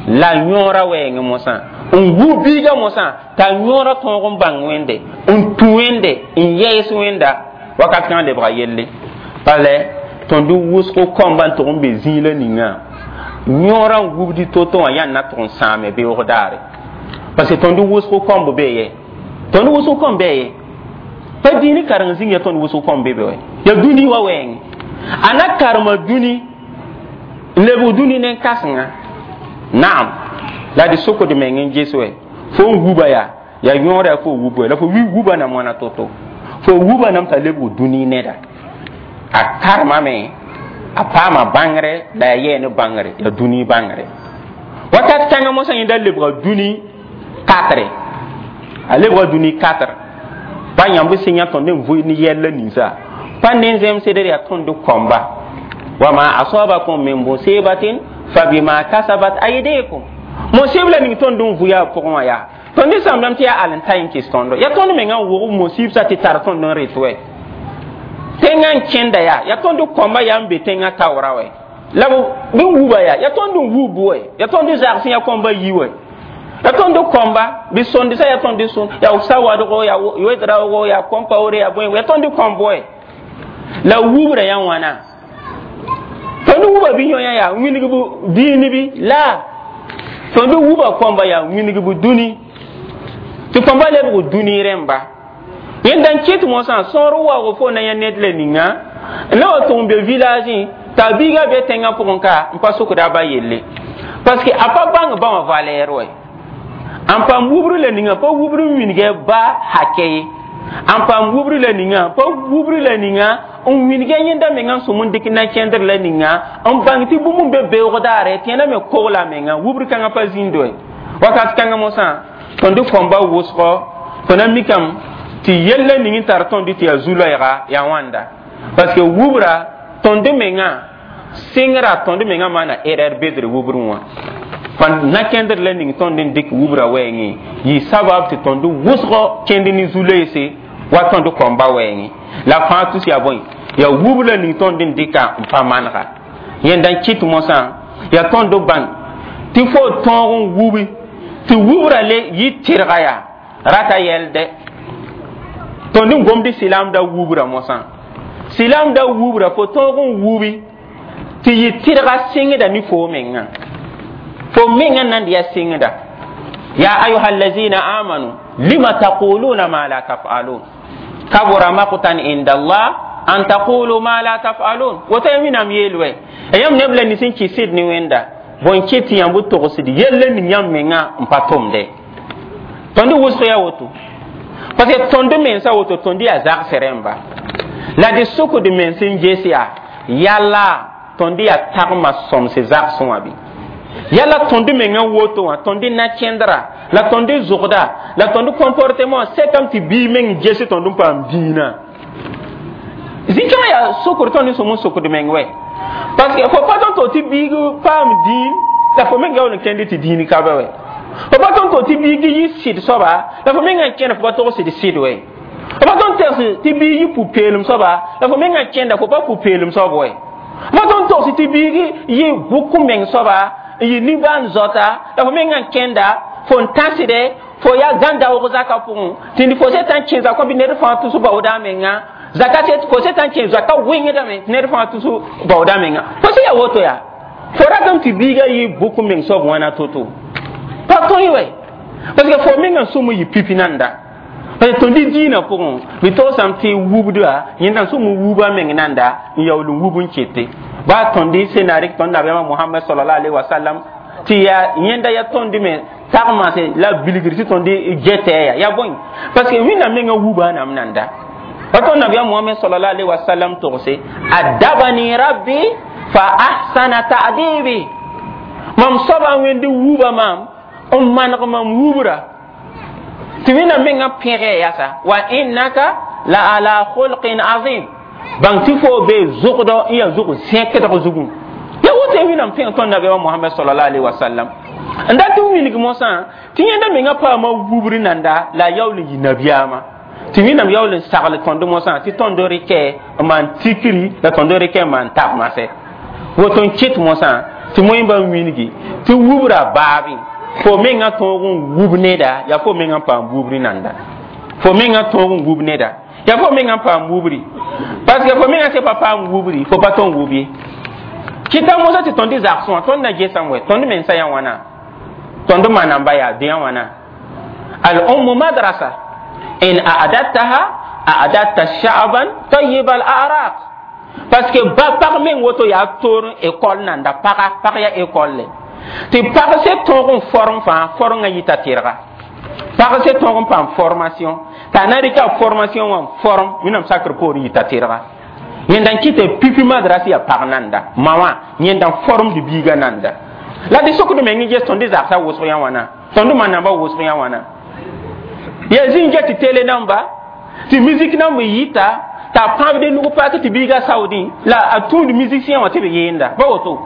la yõora wɛɛngẽ mosã n wu biigã mosã t'a yõora tõog n bãng wẽnde n tũ wẽnde n yɛɛs wẽnda wakat kãngã lebga yelle bala tõnd wʋsg kõmba n tʋg n be zĩig la ninga yõorã n wubdi to-to wã yãnd na tʋg n sãame beoog daare parce que tõnd wʋsg kõmb bee ye tõnd wʋsg kõm bee ye pa dĩini kareng zĩng ya tõnd wʋsg kõm be be wɛ ya dũni wa wɛɛngẽ a na karema dũni n lebg dũni nen-kãsenga naam la d sokd meng n ges wɛ fo n wuba yaa ya yõora fo wub wɛ la fo wi wuba nam wãna to-to fo wuba nam t'a lebg dũni neda a karemame a paama bãngre la ya yɛɛ ne bãngre ya dũni bãngre wakat kãngã mosã yẽnda lebga dũni katre a lebga dũni katre pa yãmb sẽn yã tõnd n vʋɩ ne yɛlla ninsa pa ne zemsdr yaa tõnd kõmba wama asabakum min musibatin fabima kasabat aydikum musib la ning tõnd n vʋya a pʋgẽ wã yaa tõnd sãmdame tɩ yaa al n ta n kɩs tõndo yaa tõnd menga n wog musib sa tɩ tar tõnd n rɩt wɛ tẽngã n kẽnda yaa yaa tõnd kõmba yaa n be tẽngã taoora wɛ la b wuba yaa yaa tõnd n wub wɛ yaa tõnd zags yã kõmba yi wɛ yaa tõnd kõmba bɩ sõndsa yaa tõnd sõn yaa sawadgo yaa wedraogo yaa kõmpaoore yaa bõe yaa tõnd kõmb wɛ la wubra yã wãna tõnd wuba bɩ yõ yã yaa wilgb dĩin bɩ la tõnd wuba kõmba yaa wilgb dũni tɩ kõmba lebg dũni rẽmba yẽnda n kɩt mosã sõor waoog fo na yã ned la ninga n la wa tʋg n be village t'a biigã be tẽngã pʋgẽ ka n pa sokda a ba yelle parce que a pa bãng ba wã valeur wɛ n paam wubr la ninga pa wubr n wilgɛ ba hakɛ ye n paam wubr la ninga pa wubr la ninga n wilgɛ yẽnda menga n sõm n dɩk na kẽndr la ninga n bãng tɩ bũmb n be beoog daare tɩ yẽnda me kogla menga wubr kãngã pa zĩnd wɛ wakat kãngã mosã tõnd kõmba wʋsgɔ fo na mikame tɩ yella ning n tar tõnd tɩ yaa zu-loɛɛga yaa wãnda parce que wubra tõnd menga sɩngra tõnd menga maana erreur bedr wubr wã pa na kẽndr la ning tõnd n dɩk wubra wɛɛngẽ yɩ sabab tɩ tõnd wʋsgɔ kẽnd ne zu-loeese wa tõnd kõmba wɛɛngẽ la fãa tus yaa bõe. Ya wubr la ning tõnd n dɩka n pa manega yẽnda n kɩt mosã yaa tõnd bãng tɩ fo tõog n wubi tɩ wubra le yɩ tɩrga yaa rata yɛlde tõnd n gomd silaamda wubra mosã silaamda wubra fo tõog n wubi tɩ yɩ tɩrga sɩngda ne fo mengã fo mengã nan d yaa sɩngda ya ayuha allazina amanu lima taquluna ma la taf'alun kabura maqtan inda allah an taqulu ma la taf'alun woto ya wẽnnaam yeel wɛ yãmb neb la nins n kɩ sɩd ne wẽnda bõe kɩ tɩ yãmb togsd yell ning yãmb menga n pa tʋmde tõnd wʋsg yaa woto parce que tõnd mensa woto tõnd yaa zags rẽmba la d sʋkd mens n ges yaa yala tõnd yaa tagma sõmse zagsẽ wã bɩ yala tõnd menga woto wã tõnd na-kẽndra la tõnd zʋgda la tõnd comportement sekame tɩ bii meng ges tõnd n paam dĩinã zĩ-kãngã yaa sokr tõnd sũm n sokd meng wɛ parce que fo pa tõnd to tɩ biig paam dĩin la fo meng yaool n kẽnd tɩ dĩin ka ba wɛ fo pa tõnd to tɩ biig yɩ sɩd soaba la fo mengã kẽnd fo pa tog sɩd sɩd wɛ fo pa tõnd tegs tɩ biig yɩ pu-peelem soaba la fo mengã kẽnda fo pa pu-peelem soab wɛ fo pa tõnd togs tɩ biig yɩ bʋk meng soaba n yɩ nimbãan zoata la fo mengã kẽnda fo n tãsde fo yaa gãn-daoog zaka pʋgẽ tɩ fo se tã n kẽ zakõ bɩ ned fãa tus baooda a menga zaka se fo se tã n kẽ zaka wẽngdame tɩ ned fãa tus baooda a menga fo se yaa woto yaa fo ratame tɩ biigã yɩ bʋk meng soab wãna to-to pa tõe wɛ parce que fo mengã sũm yɩ pipi nanda parce que tõnd dĩinã pʋgẽ bɩ togsame tɩ wubda yẽnda n sũm n wuba meng nanda n yaool n wub n kete baa tõnd sẽn na rɩk tõnd nabiyaamã Mohamɛd sallallahu alaihi wasallam tɩ yaa yẽnda yaa tõnd me tagmase la bilgr tɩ tõnd getɛ ya yaa bõe parce que wẽnnaam mengã wuba nam nanda pa tõnd nabiyaam Mohamɛd sallallahu alaihi wasallam togse adabani rabbi fa ahsana ta'dibi mam soaba wẽnd wuba maam n maneg mam wubra tɩ wẽnnaam mengã pẽge yasa wa innaka la ala khulqin azim bãng tɩ fo be zʋgdɔ n yaa zʋg zẽkdg zugẽ ya woto wẽnnaam pẽg tõnd nabiyaamã Mohamɛd sallallahu alaihi wasallam n dat n wilg mosã tɩ yẽnda mengã paama wubr nanda la a yaool n yɩ nabiyaamã tɩ wẽnnaam yaool n sagl tõnd mosã tɩ tõnd rɩkɛ n maan tikri la tõnd rɩkɛ n maan tagmasɛ woto n kɩt mosã tɩ moẽmba n wilgi tɩ wubra baabẽ fo mengã tõog n wub neda yaa fo mengã n paam wubri nanda fo mengã tõog n wub neda yaa fo mengã n paam wubri parce que fo mengã se pa paam wubri fo pa tõn wub ye kɩta mosã tɩ tõnd zagsẽ wã tõnd na gesame wɛ tõnd mensã yaa wãna tõnd manamba yaa dẽ wãna al ummu madrasa in a'dadtaha a'dadta sha'ban tayyib al a'raq parce que ba pag meng woto yaa toor école nanda paga pag yaa école le tɩ pag se tõog n form fãa forngã yita tɩrga pag se tõog n paam formation t'a na rɩka formation wã n form wẽnnaam sakr poor yita tɩrga yẽnda n kɩtɛ pipi madrasa yaa pag nanda ma wã yẽnda n formd biigã nanda la dɩ sokd meng ges tõnd zagsã wʋsg yã wãna tõnd manamba wʋsg yã wãna yaa zĩig get tɩ tele namba tɩ musique namb yita t'a pãbd nug paak tɩ biigã saoodẽ la a tũud musicien wã tɩ b yeenda ba woto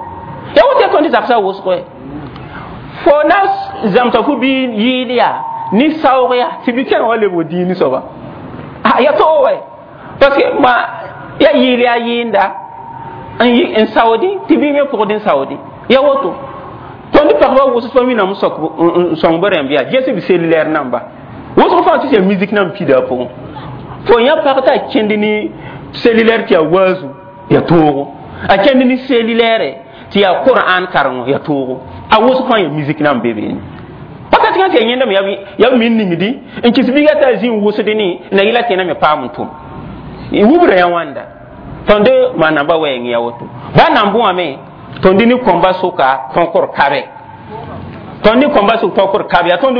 ya woto ya tõnd zagsã wʋsg fo na zãmsa fu bi yɩɩl yaa ne saoog yaa tɩ bi kẽng wa lebg dĩin soaba ya to wɛ parce que ma ya yɩɩl yaa yɩɩnda n saoodẽ tɩ bi me pʋgd n saoodẽ ya woto tõnd pagba wʋsg pa wĩnam n sõng b rẽmb yaa ges b cellulaire namba wʋsg fãa tɩ yaa musique nan pida a pʋgẽ fo yã pag t'a kẽnd ne cellulaire tɩ yaa waazu yaa toogo a kẽnd ne cellulaire tɩ yaa Qur'an karengo yaa toogo a wʋsg fãa yaa musique nan be beene wakat kãng tɩ yaa yẽndame yaa b min ningdi n kɩs biiga t'a zĩ n wʋsd ne na yɩla tẽna me paam n tʋm wubra yã wãnda tõnd maanamba wɛɛng ya woto ba nambẽ wã me tõnd ne kõmba sʋka tõkr kabe tõnd ne kõmba sʋk tõkr kabe yaa tõnd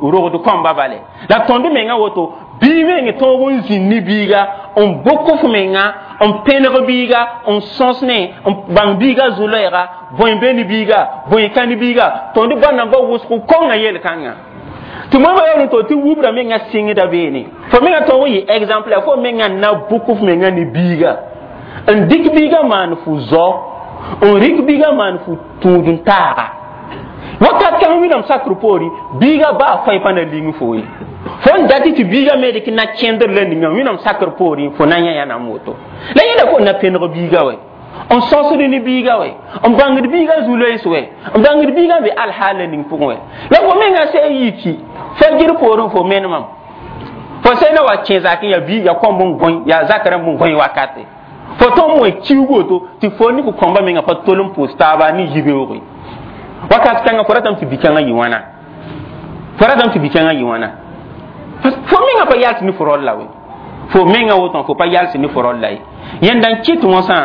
rogd kõmba bale la tõnd menga woto bii meng tõog n zĩnd ne biiga n bok f menga n pẽneg biiga n sõs ne n bãng biiga zu-loɛɛga bõe be ne biiga bõe ka ne biiga tõnd ba namba wʋsg kongã yel-kãngã tɩ moẽmba yaool n to tɩ wubra menga sɩngda beene fo menga tõog n yɩ exemple fo menga na bʋk f menga ne biiga n dɩk biiga maan fu zao n rɩk biiga maan fu tũud n taaga wakat kãng wĩnnaam sakr poore biiga baa fãy pa na ling fo ye Fo n dat tɩ biigã me dɩk na kẽndr la ninga Wẽnnaam sakr poorẽ, fo na yã ya nam woto la yẽla fo na pẽneg biigã wɛ, n sõsd ne biigã wɛ, n bãngd biigã zu-loees wɛ, n bãngd biigã be alhaal la ning pʋgẽ wɛ. La fo mengã sã n yiki fajir poorẽ, fo menemam, fo sã na wa kẽ zakẽ, ya bii ya kõmb n gõe, ya zak rãmb n gõe wakate, fo tõm wẽ kiuug woto tɩ fo ne fo kõmba menga pa tol n pʋʋs taaba ne yibeoogẽ wakat kãngã. Fo ratame tɩ bi-kãngã yɩ wãna? Fo ratame tɩ bi-kãngã yɩ wãna? Fo menga pa yals ne fo rol la we, fo menga woto fo pa yals ne fo rol la ye. Yẽnda n kɩt wõsã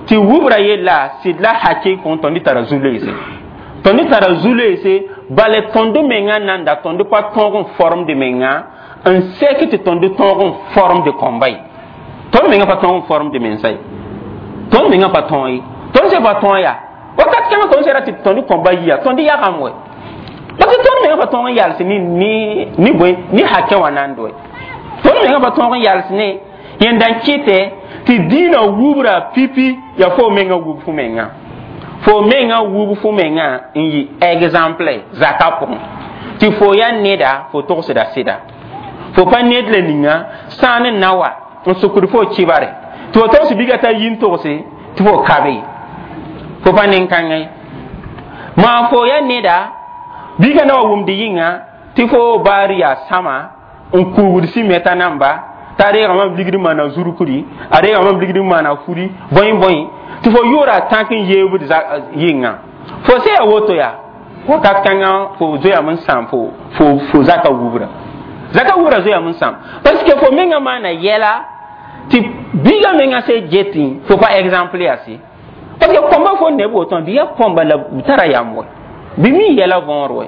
tɩ wubra yella sɩd la hake kõn tõnd tara zu-loeese, tõnd tara zu-loeese bala tõnd menga nanda, tõnd pa tõog n formd menga n sɛk tɩ tõnd tõog n formd kõmba ye. Tõnd menga pa tõog n formd mensa ye, tõnd menga pa tõog ye, tõnd se pa tõog ya wakat kãngã. Tõnd sera tɩ tõnd kõmba yia, tõnd yagam wɛ, parce que tõnd menga pa tõog n yals ni ni ni bõe ni hakẽ wã nand wɛ. Tõnd menga pa tõog n yals ne. Yẽnda n kɩtɛ tɩ dĩinã wubra pipi ya fo menga wub fo menga, fo menga wub fo menga n yɩ exemple zaka pʋgẽ, tɩ fo ya neda, fo togsda sɩda, fo pa ned la ninga sã n na wa n sukd fo kibare tɩ fo togs biga t'a yi n togse tɩ fo kabe, fo pa nin-kãngã ye. Maa fo ya neda, biga na wa wʋmd yĩnga tɩ fo baar yaa sãma n kuugd simɛta namba t'a reegame b ligd n maana zurkri, a reegame b ligd n maana furi bõe bõe, tɩ fo yʋʋra a tãk n yeebd yɩnga, fo se ya woto yaa wakat kãngã fo zoeame n sãam fo fo fo zaka wubra, zaka wubra zoeame n sãam, parce que fo menga maana yɛla tɩ biigã menga se getẽ, fo pa exemple yaa se, parce que kõmba fo neb woto bɩ ya kõmba la b tara yam wɛ, bɩ mi yɛla võor wɛ.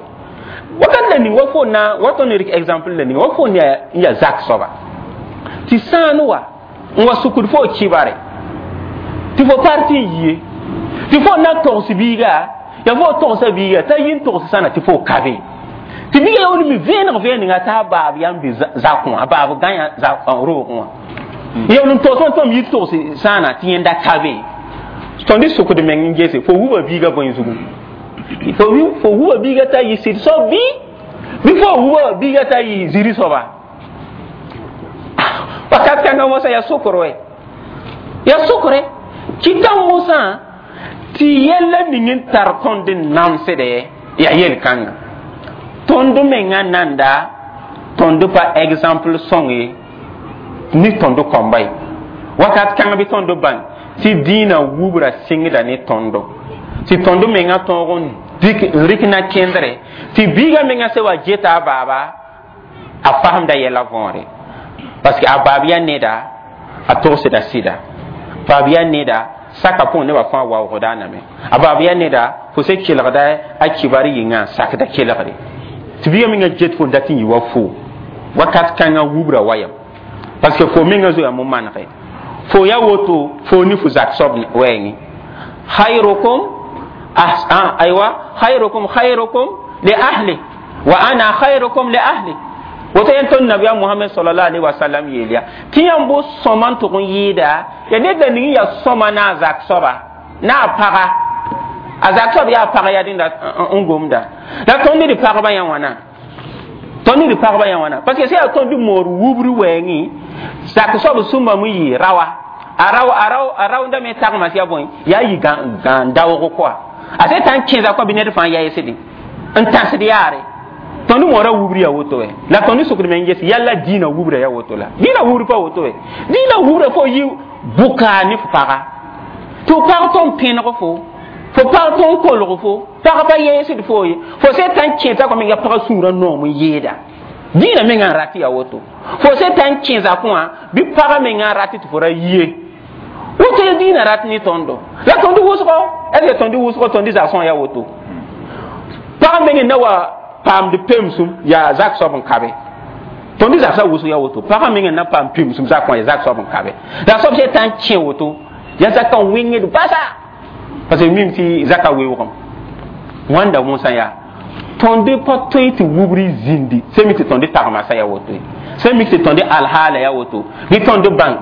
Wakat la ning wa fo na wa tõnd rɩk exemple la ning wa fo n ya zak soaba tɩ sãan wa n wa sukd fo kibare tɩ fo parti n yie tɩ fo na togs biiga, ya fo togsa biiga t'a yi n togs sãna tɩ fo kabe, tɩ biiga ya mi vẽeneg vẽenega t'a baab yam bɩ zakẽ wã, a baab gãya roogẽ wã ya n togs wã tõm yi togs sãana tɩ yẽnda kabe. Tõnd sukd meng n gese fo wuba biiga bõe zugu, fo fo wuba biiga t'a yɩ sɩd soab bɩ bɩ fo wuba biiga t'a yɩ ziri soaba. Wakat kãngã mosã ya sokr wɛ, ya sokre kɩta mosã tɩ yɛla ning n tar tõnd n namsdɛ ya yel-kãngã. Tõnd menga nanda, tõnd pa exemple sõng ye ne tõnd kõmba ye. Wakat kãng bɩ tõnd bãng tɩ dĩinã wubra sɩngda ne tõndo, tɩ tõnd menga tõog n dɩk n rɩk na kẽndre tɩ biigã menga se wa geta a baaba, a fasemda yɛla võore, parce que a baab ya neda, a togsda sɩda, baab ya neda, saka pʋgẽ nebã fãa waoogda a name, a baab ya neda, fo se kelgda a kibar yĩngã sakda kelgre, tɩ biigã menga get fo n dat n yɩ wa fo wakat kãngã wubra wayam, parce que fo menga zoeame n manege fo ya woto fo ne fo zak soab wɛɛngẽ. Khayrukum aywa khayrukum khayrukum li ahli wa ana khayrukum li ahli. Woto yẽn tõnd nabiya Mohamɛd sallallahu alaihi wasallam yeel ya tɩ yãmb bo sõma n tʋg n yɩɩda ya ned la ning ya sõma na a zak soaba na a paga, a zak soab yaa pag yaa dẽnda n gomda la tõnd d pagba yã wãna, tõnd d pagba yã wãna, parce que sã yaa tõnd moor wubr wɛɛngẽ, zak soab sũmbame yɩ rawa, a rao a rao a raoonda me tagma tɩ ya bõe yaa yɩ gãn daoog koa, a se tã n kẽesa koa bɩ ned fãa yaeesdẽ n tãsd yaare. Tõnd moora wubr ya woto wɛ, la tõnd sukd me n ges yalla dĩinã wubra ya woto, la dĩinã wubr pa woto wɛ. Dĩinã wubra fo yɩ bʋka ne fo paga, tɩ f pag tõnd pẽneg fo, fo pag tõnd kolg fo, pag pa yeesd fo ye, fo se tã n kẽesa kõ menga pagã sũurã noom n yeeda. Dĩinã menga n rat ya woto, fo se tã n kẽ zakẽ wã bɩ pagã menga n rat tɩ fo ra yie woto ya dĩinã rat ne tõndo. La tõnd wʋsgo, est ce que tõnd wʋsgo tõnd zagsẽ wã ya woto? Pag meng n na wa paamd pemsum yaa zak soab n kabe, tõnd zagsã wʋsg ya woto, pagã meng n na paam pemsum zak wã ya zak soab n kabe, la soab se tã n kẽ woto ya zakã wẽngd basa, parce que mim tɩ zaka weoogem wãnda wõsã yaa tõnd pa tõe tɩ wubri zĩndi sẽn mik tɩ tõnd tagmasa ya woto ye, sẽn mik tɩ tõnd alhaala ya woto, bɩ tõnd bãng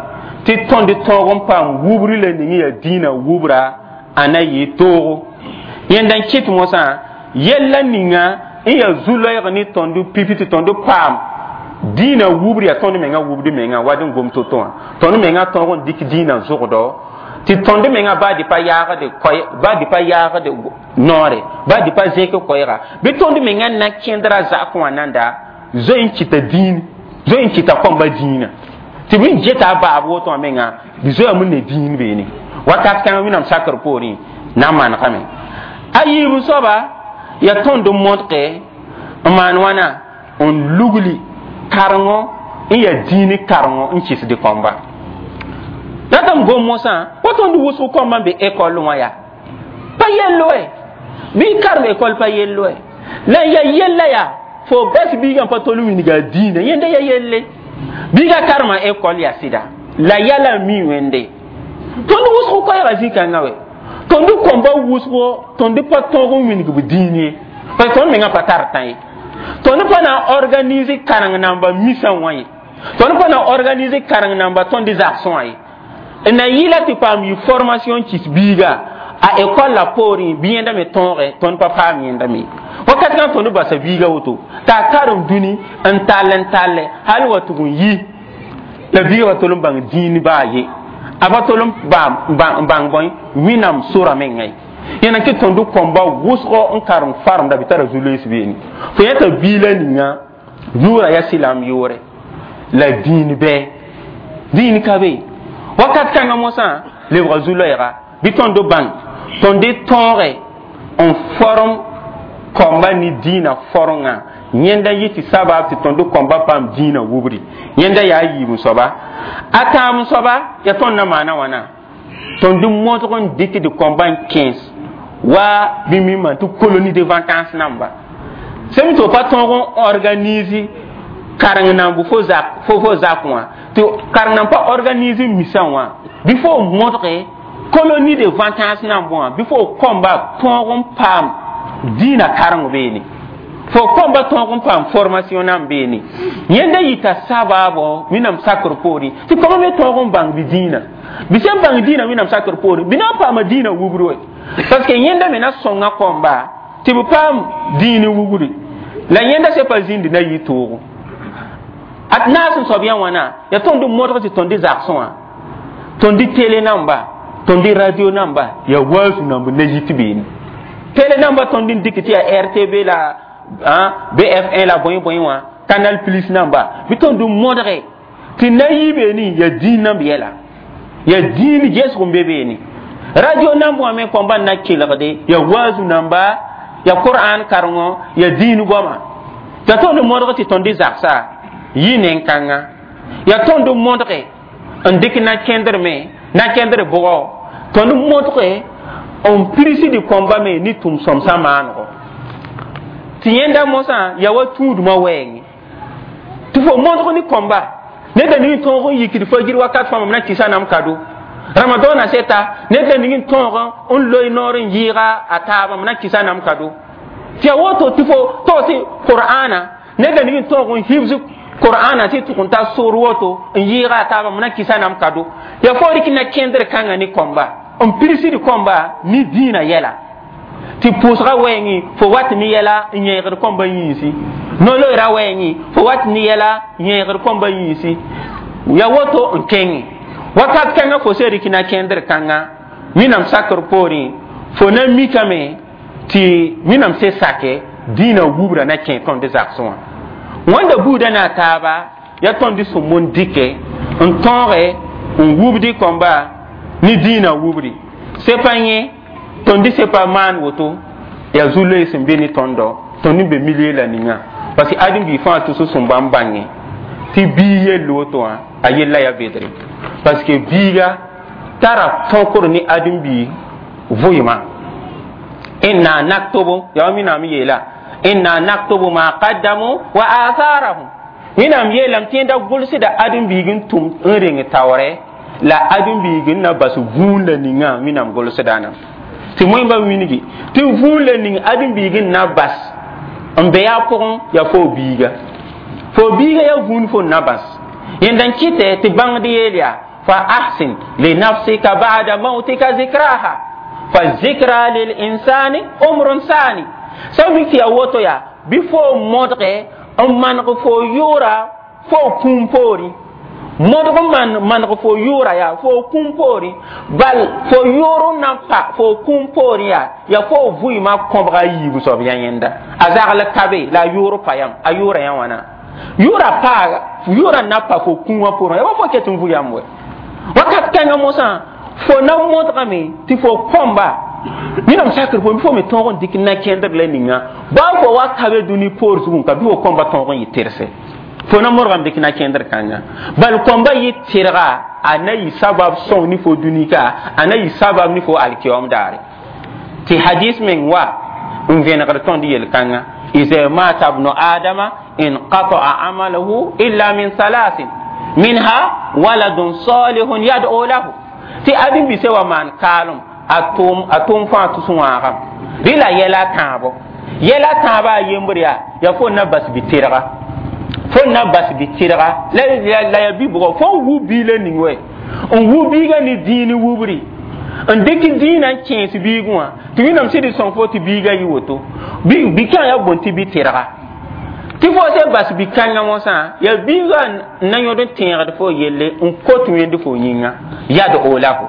tɩ tõnd tõog n paam wubri la ning ya dĩinã wubra a na yɩ toogo. Yẽnda n kɩt mosã yɛlla ninga n yaa zu-loɛɛg ne tõnd pipi tɩ tõnd paam. Dĩinã wubr yaa tõnd menga wubd menga wa dẽn gom to-to wã tõnd menga tõog n dɩk dĩinã zʋgdɔ tɩ tõnd menga baa dɩ pa yaagde koɛ baa dɩ pa yaagde noore baa dɩ pa zẽk koɛɛga bɩ tõnd menga na kẽndra zakẽ wã nanda zoe n kɩta dĩin zoe n kɩta kõmba dĩinã tɩ bɩ n geta a baab woto wã menga bɩ zoeame ne dĩin beene wakat kãngã wẽnnaam sakr poorẽ na n manegame a yiib soaba yaa tõnd n modge n maan wãna n lugli karengo n yaa dĩin karengo n kɩsd kõmba ratame gom mosã wa tõnd wʋsg kõmba n be ekɔl wã yaa pa yello wɛ bɩ karem ekɔl pa yello wɛ la ya yella yaa fo bas biigã pa tol n wilga dĩinã yẽnda ya yelle biigã karema ekɔl yaa sɩda la yala n mi wẽnde tõnd wʋsg koɛɛga zĩ-kãngã wɛ tõnd kõmba wʋsgo tõnd pa tõog n wilg b dĩin ye parce que tõnd mengã pa tar tã ye tõnd pa na n organise kareng namba misã wã ye tõnd pa na n organise kareng namba tõnd zagsẽ wã ye n na yɩla tɩ paam yɩ formation kɩs biiga a école la poorẽ bɩ yẽnda me tõoge tõnd pa paam yẽnda me wakat kãng tõnd basa biiga woto t'a karem dũni n tall n talle hal wa tʋg n yi la biiga pa tol n bãng dĩin baa ye a pa tol n bãng bõe wẽnnaam sora menga ye yẽna tɩ tõnd kõmba wʋsgo n karem faremda bɩ tara zu-loees beene fo yẽta biila ninga yʋʋra yaa sɩlam yʋʋre la dĩin bɩ dĩin ka be wakat kãngã mosã lebga zu-loɛɛga bɩ tõnd bãng tõnd tõoge n form kõmba ne dĩinã forngã yẽnda yɩ tɩ sabab tɩ tõnd kõmba paam dĩinã wubri yẽnda yaa a yiib soaba a tãab soaba yaa tõnd na maana wãna tõnd modg n dɩkd kõmba n kẽes wa bɩ mimã tɩ colonie de vacances namba sẽm tɩ pa tõog n organise kareng namb fo zak fo fo zak wã tɩ kareng namb pa organise misã wã bɩ fo modge colonie de vacances namb wã bɩ fo kõmba tõog n paam dĩinã kareng beene fo kõmba tõog n paam formation nan beene yẽnda yita sabaabo wẽnnaam sakr poorẽ tɩ kõma me tõog n bãng bɩ dĩinã bɩ sẽn bãng dĩinã wẽnnaam sakr poorẽ bɩ na n paama dĩinã wubr we parce que yẽnda me na sõnga kõmba tɩ b paam dĩin wugri la yẽnda se pa zĩnd na yɩ toogo ad naas n soab yã wãna yaa tõnd modg tɩ tõnd zagsẽ wã tõnd télé namba tõnd radio namba yaa waasu namb na yit beene télé namba tõnd n dɩk tɩ yaa R T B la B F un la bõe bõe wã Canal Plus namba bɩ tõnd modge tɩ na yi beene yaa dĩin namb yɛla yaa dĩin gesg n be beene radio namb wã me kõmba n na kelgde yaa waazu namba yaa qur'an karengo yaa dĩin goama yaa tõnd modg tɩ tõnd zagsa yɩ nen-kãnga yaa tõnd modge n dɩk na kẽndr me na kẽndr bʋgɔ tõnd modge n pirsd kõmba me ne tʋm-sõmsã maanego tɩ yẽnda mosã yaa wa tũudmã wɛɛngẽ tɩ fo modg ne kõmba ned la ning tõog n yikd fajir wakat fãa mam na kɩsa nam kado ramadɔɔna seta ned la ning tõog n loe noor n yɩɩga a taaba m na kɩsa nam kado tɩ yaa woto tɩ fo taoose qur'ana ned la ning tõog n hibs qur'ana tɩ tʋg n ta soor woto n yɩɩga a taaba m na kɩsa nam kado yaa fo rɩk na kẽndr kãngã ne kõmba n pirsd kõmba ne dĩinã yɛla tɩ pʋʋsga wɛɛngẽ fo wat ne yɛla n yẽegd kõmba yĩnsi no-loeera wɛɛngẽ fo wat ne yɛla n yẽegd kõmba yĩnsi ya woto n kẽngẽ wakat kãngã fo se rɩk na kẽndr kãngã wẽnnaam sakr poorẽ fo na mikame tɩ wẽnnaam se sake dĩinã wubra na kẽ tõnd zagsẽ wã wãnda buudã na a taaba yaa tõnd sẽn n dɩke n tõoge n wubd kõmba ne dĩinã wubri sepa yẽ tõnd sepa maan woto yaa zu-loees n be ne tõndɔ tõnd n be milieu la ninga parce que ãdem-biig fãa tʋs sẽn bãmb bãnge tɩ biig yell woto wã a yella yaa bedre parce que biiga tara tõkr ne ãdem-biig vʋɩma إنا نكتب yaa wẽnnaam yeela إنا نكتب ما قدموا وآثارهم wẽnnaam yeelame tɩ yẽnda gʋlsda ãdem-biig n tʋm n reng taoorɛ la ãdem-biig n na bas vũun la ninga wẽnnaam gʋlsda nam tɩ moẽmba wilgi tɩ vũun la ning ãdem-biig n na bas n be yaa pʋgẽ yaa fo biiga fo biiga yaa vũun fo n na bas yẽnda n kɩtɛ tɩ bãngd yeel yaa فأحسن لنفسك بعد موتك ذكراها فالذكرى للإنسان عمر ثاني sã mik tɩ yaa woto yaa bɩ fo modge n maneg fo yʋʋra fo kũum poorẽ modg n maneg fo yʋʋra yaa fo kũum poorẽ bal fo yʋʋr n na n pa fo kũum poorẽ yaa yaa fo vʋɩɩmã kõbga a yiibu soab yaa yẽnda a zagl ka be la a yʋʋr pa yam a yʋʋra yã wãna yʋʋra paaga yʋʋra n na pa fo kũumã poorẽ yaa wa fo ket n vʋ yam wɛ wakat kãngã mosã fo na modgame tɩ fo kõmba wẽnnaam sakr fo fo me tõog n dɩk na-kẽndr la ninga baa fo wa ka be dũni poor zugẽ ka bɩ fo kõmba tõog n yɩ terse fo na modgame dɩk na-kẽndr kãnga bal kõmba yɩ tɩrga a na yɩ sabab sõng ne fo dũni ka a na yɩ sabab ne fo alkiyoom daare tɩ hadis meng wa n vẽnegd tõnd yel-kãnga إذا مات ابن آدم انقطع عمله إلا من ثلاث منها ولد صالح يدعو له tɩ ãdem bise wa maan kaalem a tʋʋm a tʋʋm fãa tus wãagam rɩ la yɛla tãabo yɛla tãabã a yembr yaa yaa fo na bas bɩ-tɩrga fo na bas bɩ-tɩrga la yaa bi-bʋgɔ fo n wu biilã ning wɛ n wu biigã ne dĩin wubri n dɩk dĩinã n kẽes biigẽ wã tɩ wẽnnaam sɩd sõng fo tɩ biigã yɩ woto bi-kãng yaa bõn tɩ bɩ-tɩrga tɩ fo sẽn bas bi-kãngã mosã yaa biigã n na yõd n tẽegd fo yelle n kot wẽnd fo yĩnga yad olahu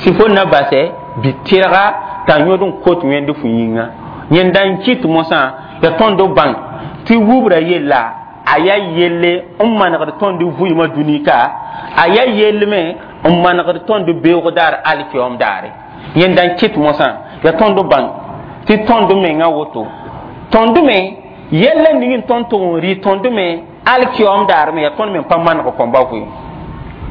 tɩ fo na basɛ bi-tɩrga t'a yõd n kot wẽnd fo yĩnga yẽnda n kɩt mosã yaa tõnd bãng tɩ wubra yella a yaa yelle n manegd tõnd vʋɩɩmã dũni ka a yaa yell me n manegd tõnd beoog daar alkiyoom daare yẽnda n kɩt mosã yaa tõnd bãng tɩ tõnd menga woto tõnd me yɛlla ning n tõnd tʋg n rɩ tõnd me alkiyoom daar me yaa tõnd me pa maneg kõmba vʋɩɩm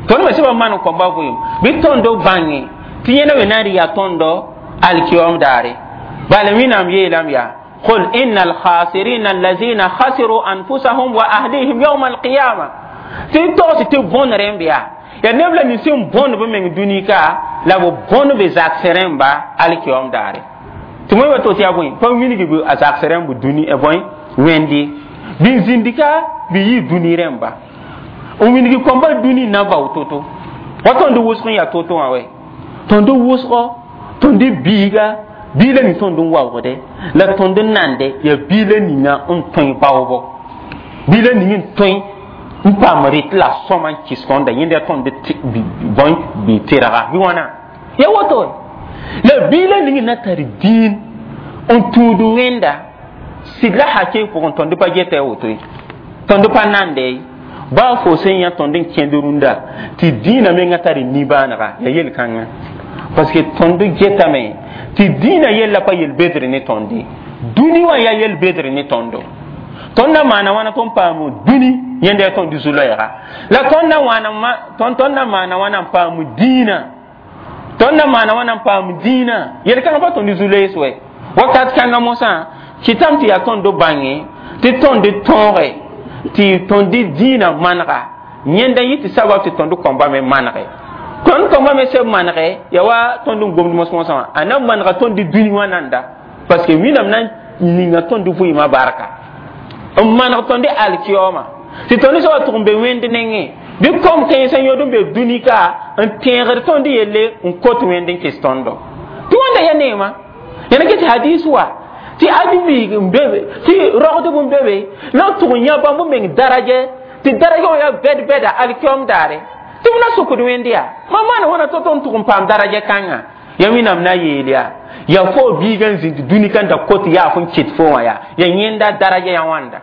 tõnd me sẽn pa maneg kõmba vʋɩɩm bɩ tõnd bãnge tɩ yẽna me na n rɩ yaa tõndo alkiyoom daare bala wẽnnaam yeelame yaa قل إن الخاسرين الذين خسروا أنفسهم وأهليهم يوم القيامة tɩ togs tɩ bõn rẽmb yaa yaa neb la nins n bõn b meng dũni ka la b bõn b zaks rẽmba alkiyoom daare tɩ wẽmba to tɩ yaa bõe pa wilg b a zaks rẽmb dũni bõe wẽndi bɩ n zĩndi ka bɩ yɩ dũni rẽmba n wilg kõmba dũni na bao to-to wa tõnd wʋsg n yaa to-to wã wɛ tõnd wʋsgɔ tõnd biiga biila ning tõnd n waoogde la tõnd n nande yaa biila ninga n tõe baoobo biila ning n tõe n paam rɩt la sõma n kɩs tõnda yẽnda yaa tõnd bõe bɩ tɩrga bɩ wãna ya woto la biila ning na tar dĩin n tũud wẽnda sɩd la hakee pʋgẽ tõnd pa geta woto ye tõnd pa nande baa fo sẽn yã tõnd n kẽnd rũndã tɩ dĩinã menga tar nibaanega yaa yel-kãngã parce que tõnd getame tɩ dĩinã yella pa yel-bedr ne tõnde dũni wã yaa yel-bedr ne tõndo tõnd na maana wãna tõnd paam dũni yẽnda yaa tõnd zu-loɛɛga la tõnd na wãna tõnd na maana wãna n paam dĩinã tõnd na maana wãna n paam dĩinã yel-kãngã pa tõnd zu-loees wɛ wakat kãngã mosã kɩtame tɩ yaa tõnd bãnge tɩ tõnd tõoge tɩ tõnd dĩinã manega yẽnda yɩ tɩ sabab tɩ tõnd kõmba me manege tõnd kõmba me sẽn manege yaa wa tõnd n gomd mos-mosã wã a na manega tõnd dũni wã nanda parce que wẽnnaam na n ninga tõnd vʋɩɩmã barka n maneg tõnd alkiyooma tɩ tõnd sã wa tʋg n be wẽnd nengẽ bɩ kom kãensã yõd n be dũni ka n tẽegd tõnd yelle n kot wẽnd n kɩs tõndo tɩ wãnda yaa neema yãna ket hadis wa tɩ adi-biig n be be tɩ rogdb n be be la n tʋg n yã bãmb meng daraja tɩ daraja wã yaa bɛd-bɛda alkiyoom daare tɩ b na sʋkd wẽnd yaa mam maana wãna tɩ tõnd tʋg n paam daraja kãngã ya wẽnnaam na yeel yaa yaa fo biigã n zĩnd dũni ka n da kot yaaf n kɩt fo wã yaa yaa yẽnda daraja ya wãnda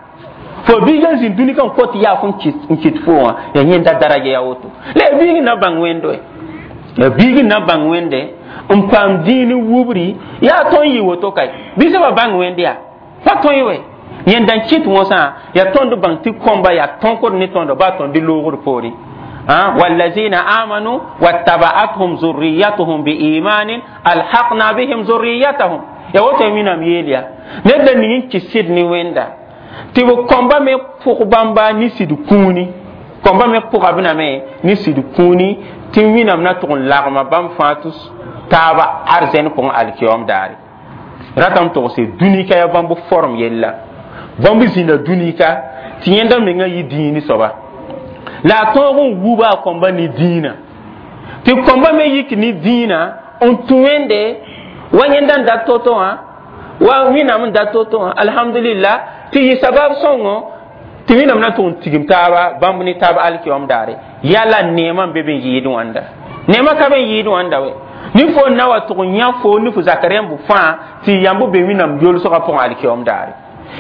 fo biigã n zĩnd dũni ka n kot yaaf n kɩt fo wã yaa yẽnda daraja ya woto la yaa biig n na bãng wẽnd wɛ yaa biig n na bãng wẽnde n paam dĩin wubri yaa tõnd yɩ woto kae bɩ sẽn pa bãng wẽnd yaa pa tõe wɛ yẽnda n kɩt mosã yaa tõnd bãng tɩ kõmba yaa tõkd ne tõndo baa tõnd loogd poorẽ والذين آمنوا واتبعتهم ذريتهم بإيمان ألحقنا بهم ذريتهم يا woto wẽnnaam yeel yaa ned la ning n kɩs sɩd ne wẽnda tɩ b kõmba me pʋg bãmba ne sɩd kũuni kõmba me pʋga b name ne sɩd kũuni tɩ wẽnnaam na tʋg n lagma bãmb fãa tʋs taaba arzɛn pʋgẽ alkiyoom daare ratame togse dũni ka yaa bãmb form yella bãmb zĩnda dũni ka tɩ yẽnda menga yɩ dĩini soaba la a tõog n wuba a kõmba ne dĩinã tɩ kõmba me yik ne dĩinã n tũ wẽnde wa yẽnda n dat to-to wã wa wẽnnaam n dat to-to wã alhamdulillah tɩ yɩ sabab sõngo Tɩ Wẽnnaam na tʋg n tigim taaba bãmb ne taab alkiyom daare. Yala neemã n be be n yɩɩd wãnda, neemã ka be n yɩɩd wãnda we. Ne fo n na wa tʋg n yã fo ne fo zak rẽmb fãa tɩ yãmb be Wẽnnaam yolsgã pʋgẽ alkiyom daare.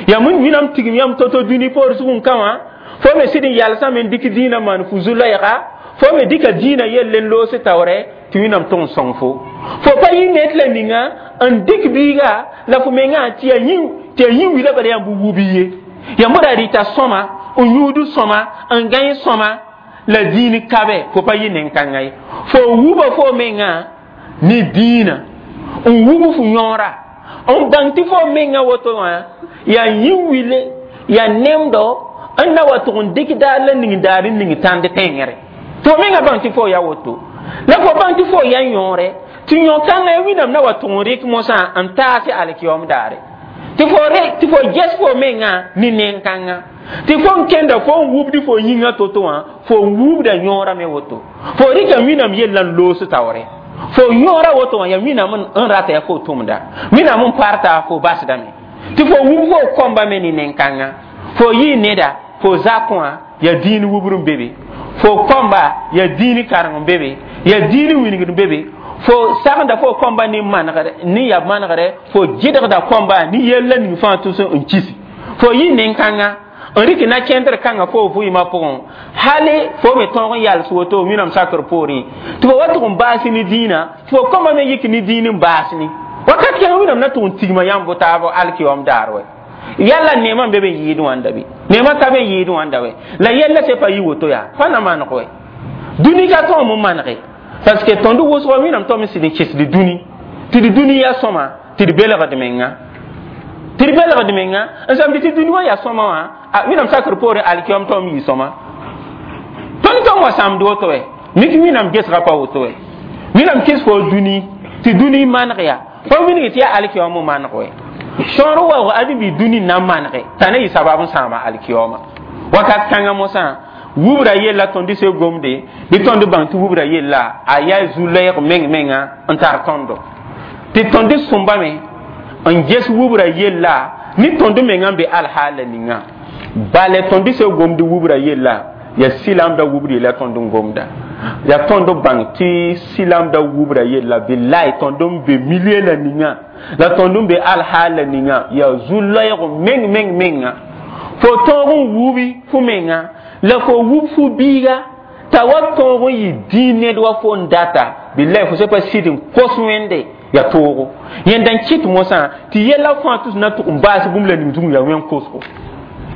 Yaa Wẽnnaam tigim yãmb to-to dũni poor zugẽ ka wã, fo me sɩd n yalsame n dɩk dĩinã maan fu zu-loɛɛga, fo me dɩka dĩinã yell n loos taoorɛ tɩ Wẽnnaam tʋg n sõng fo. Fo pa yɩ ned la ninga n dɩk biiga la fo mengã tɩ yaa yĩ tɩ yaa yĩ wila bala yãmb wu bi ye. Yãmb ra rɩta sõma n yũud sõma n gãe sõma la dĩin kabe, fo pa yɩ nen-kãngã ye. Fo wuba fo mengã ne dĩinã n wub fo yõora n bãng tɩ fo mengã woto wã yaa yĩ wile, yaa nemdo n na wa tʋg n dɩk daar la ning daar n ning tãnd tẽngre. Tɩ fo mengã bãng tɩ fo ya woto, la fo bãng tɩ fo ya yõore, tɩ yõ-kãngã ya Wẽnnaam na wa tʋg n rɩk mosã n taase alkiyom daare. Tɩ fo tɩ fo ges fo mengã ne nen-kãngã, tɩ fo n kẽnda fo n wubdi fo yĩngã to-to wã, fo n wubda yõorã me woto. Fo rɩka Wẽnnaam yellã n loos taoore. Fo yõora woto wã yaa Wẽnnaam n rata yaa fo tʋmda, Wẽnnaam n parta fo basdame. Tɩ fo wub fo kõmba me ne nen-kãngã. Fo yɩ neda fo zakẽ wã yaa dĩin wubr n be be, fo kõmba yaa dĩin kareng n be be, yaa dĩin wingd n be be. Fo sagenda fo kõmba ne manegre ne ya manegre, fo gɩdgda kõmba ne yella ning fãa tʋs n kisi. Fo yɩ nen-kãngã n rɩk na kẽndr kãngã fo vɩɩmã pʋgẽ, hali fo me tõog n yals woto Wẽnnaam sakr poorẽ, tɩ fo wa tʋg n baas ne dĩinã, tɩ fo kõmba me yik ne dĩin n baas ne. Wakat kẽng Wẽnnaam na tʋg n tigma yãmb taab alkiyom daar wɛ. Yalla neemã n be be n yɩɩd wãnda bɩ? Neemã ka be n yɩɩd wãnda wɛ. La yella se pa yɩ woto yaa pa na maneg wɛ. Dũni ka tõog m manege, parce que tõnd wʋsgã Wẽnnaam tõm n sɩd n kesd dũni tɩ d dũni yaa sõma, tɩ d belgd menga, tɩ d belgd menga n samd tɩ dũni wã yaa sõma wã. Wẽnnaam sakr poorẽ alkiyom tõm yɩ sõma. Tõnd tõm wa sãmd woto wɛ, mik Wẽnnaam gesgã pa woto wɛ. Wẽnnaam kɩs fo dũni tɩ dũni maneg yaa pa wilg tɩ yaa alkiyom n maneg wɛ. Sõor waoog ãdem-bi dũni n na n manege t'a ne yɩ sabab n sãama alkiyoma. Wakat kãngã mosã wubra yella tõnd se gomde bɩ tõnd bãng tɩ wubra yella a yaa zu-loɛɛg meng menga n tar tõndo, tɩ tõnd sõmbame n ges wubra yella ne tõnd mengã n be alhaala ninga. Bala tõnd se gomd wubra yella yaa silamda wubr yella tõnd n gomda, yaa tõnd bãng tɩ silamda wubra yella bilaay tõnd n be milie la ninga, la tõnd n be alhaala ninga yaa zu-loɛɛg meng meng menga. Fo tõog n wubi fo menga la fo wub fo biiga t'a wa tõog n yɩ dĩin ned wa fo n data, bilaay fo se pa sɩd n kos Wẽnde yaa toogo. Yẽnda n kɩt mosã tɩ yɛla fãa tʋs na tʋg n baas bũmb la ning zugẽ yaa wẽn kosgo,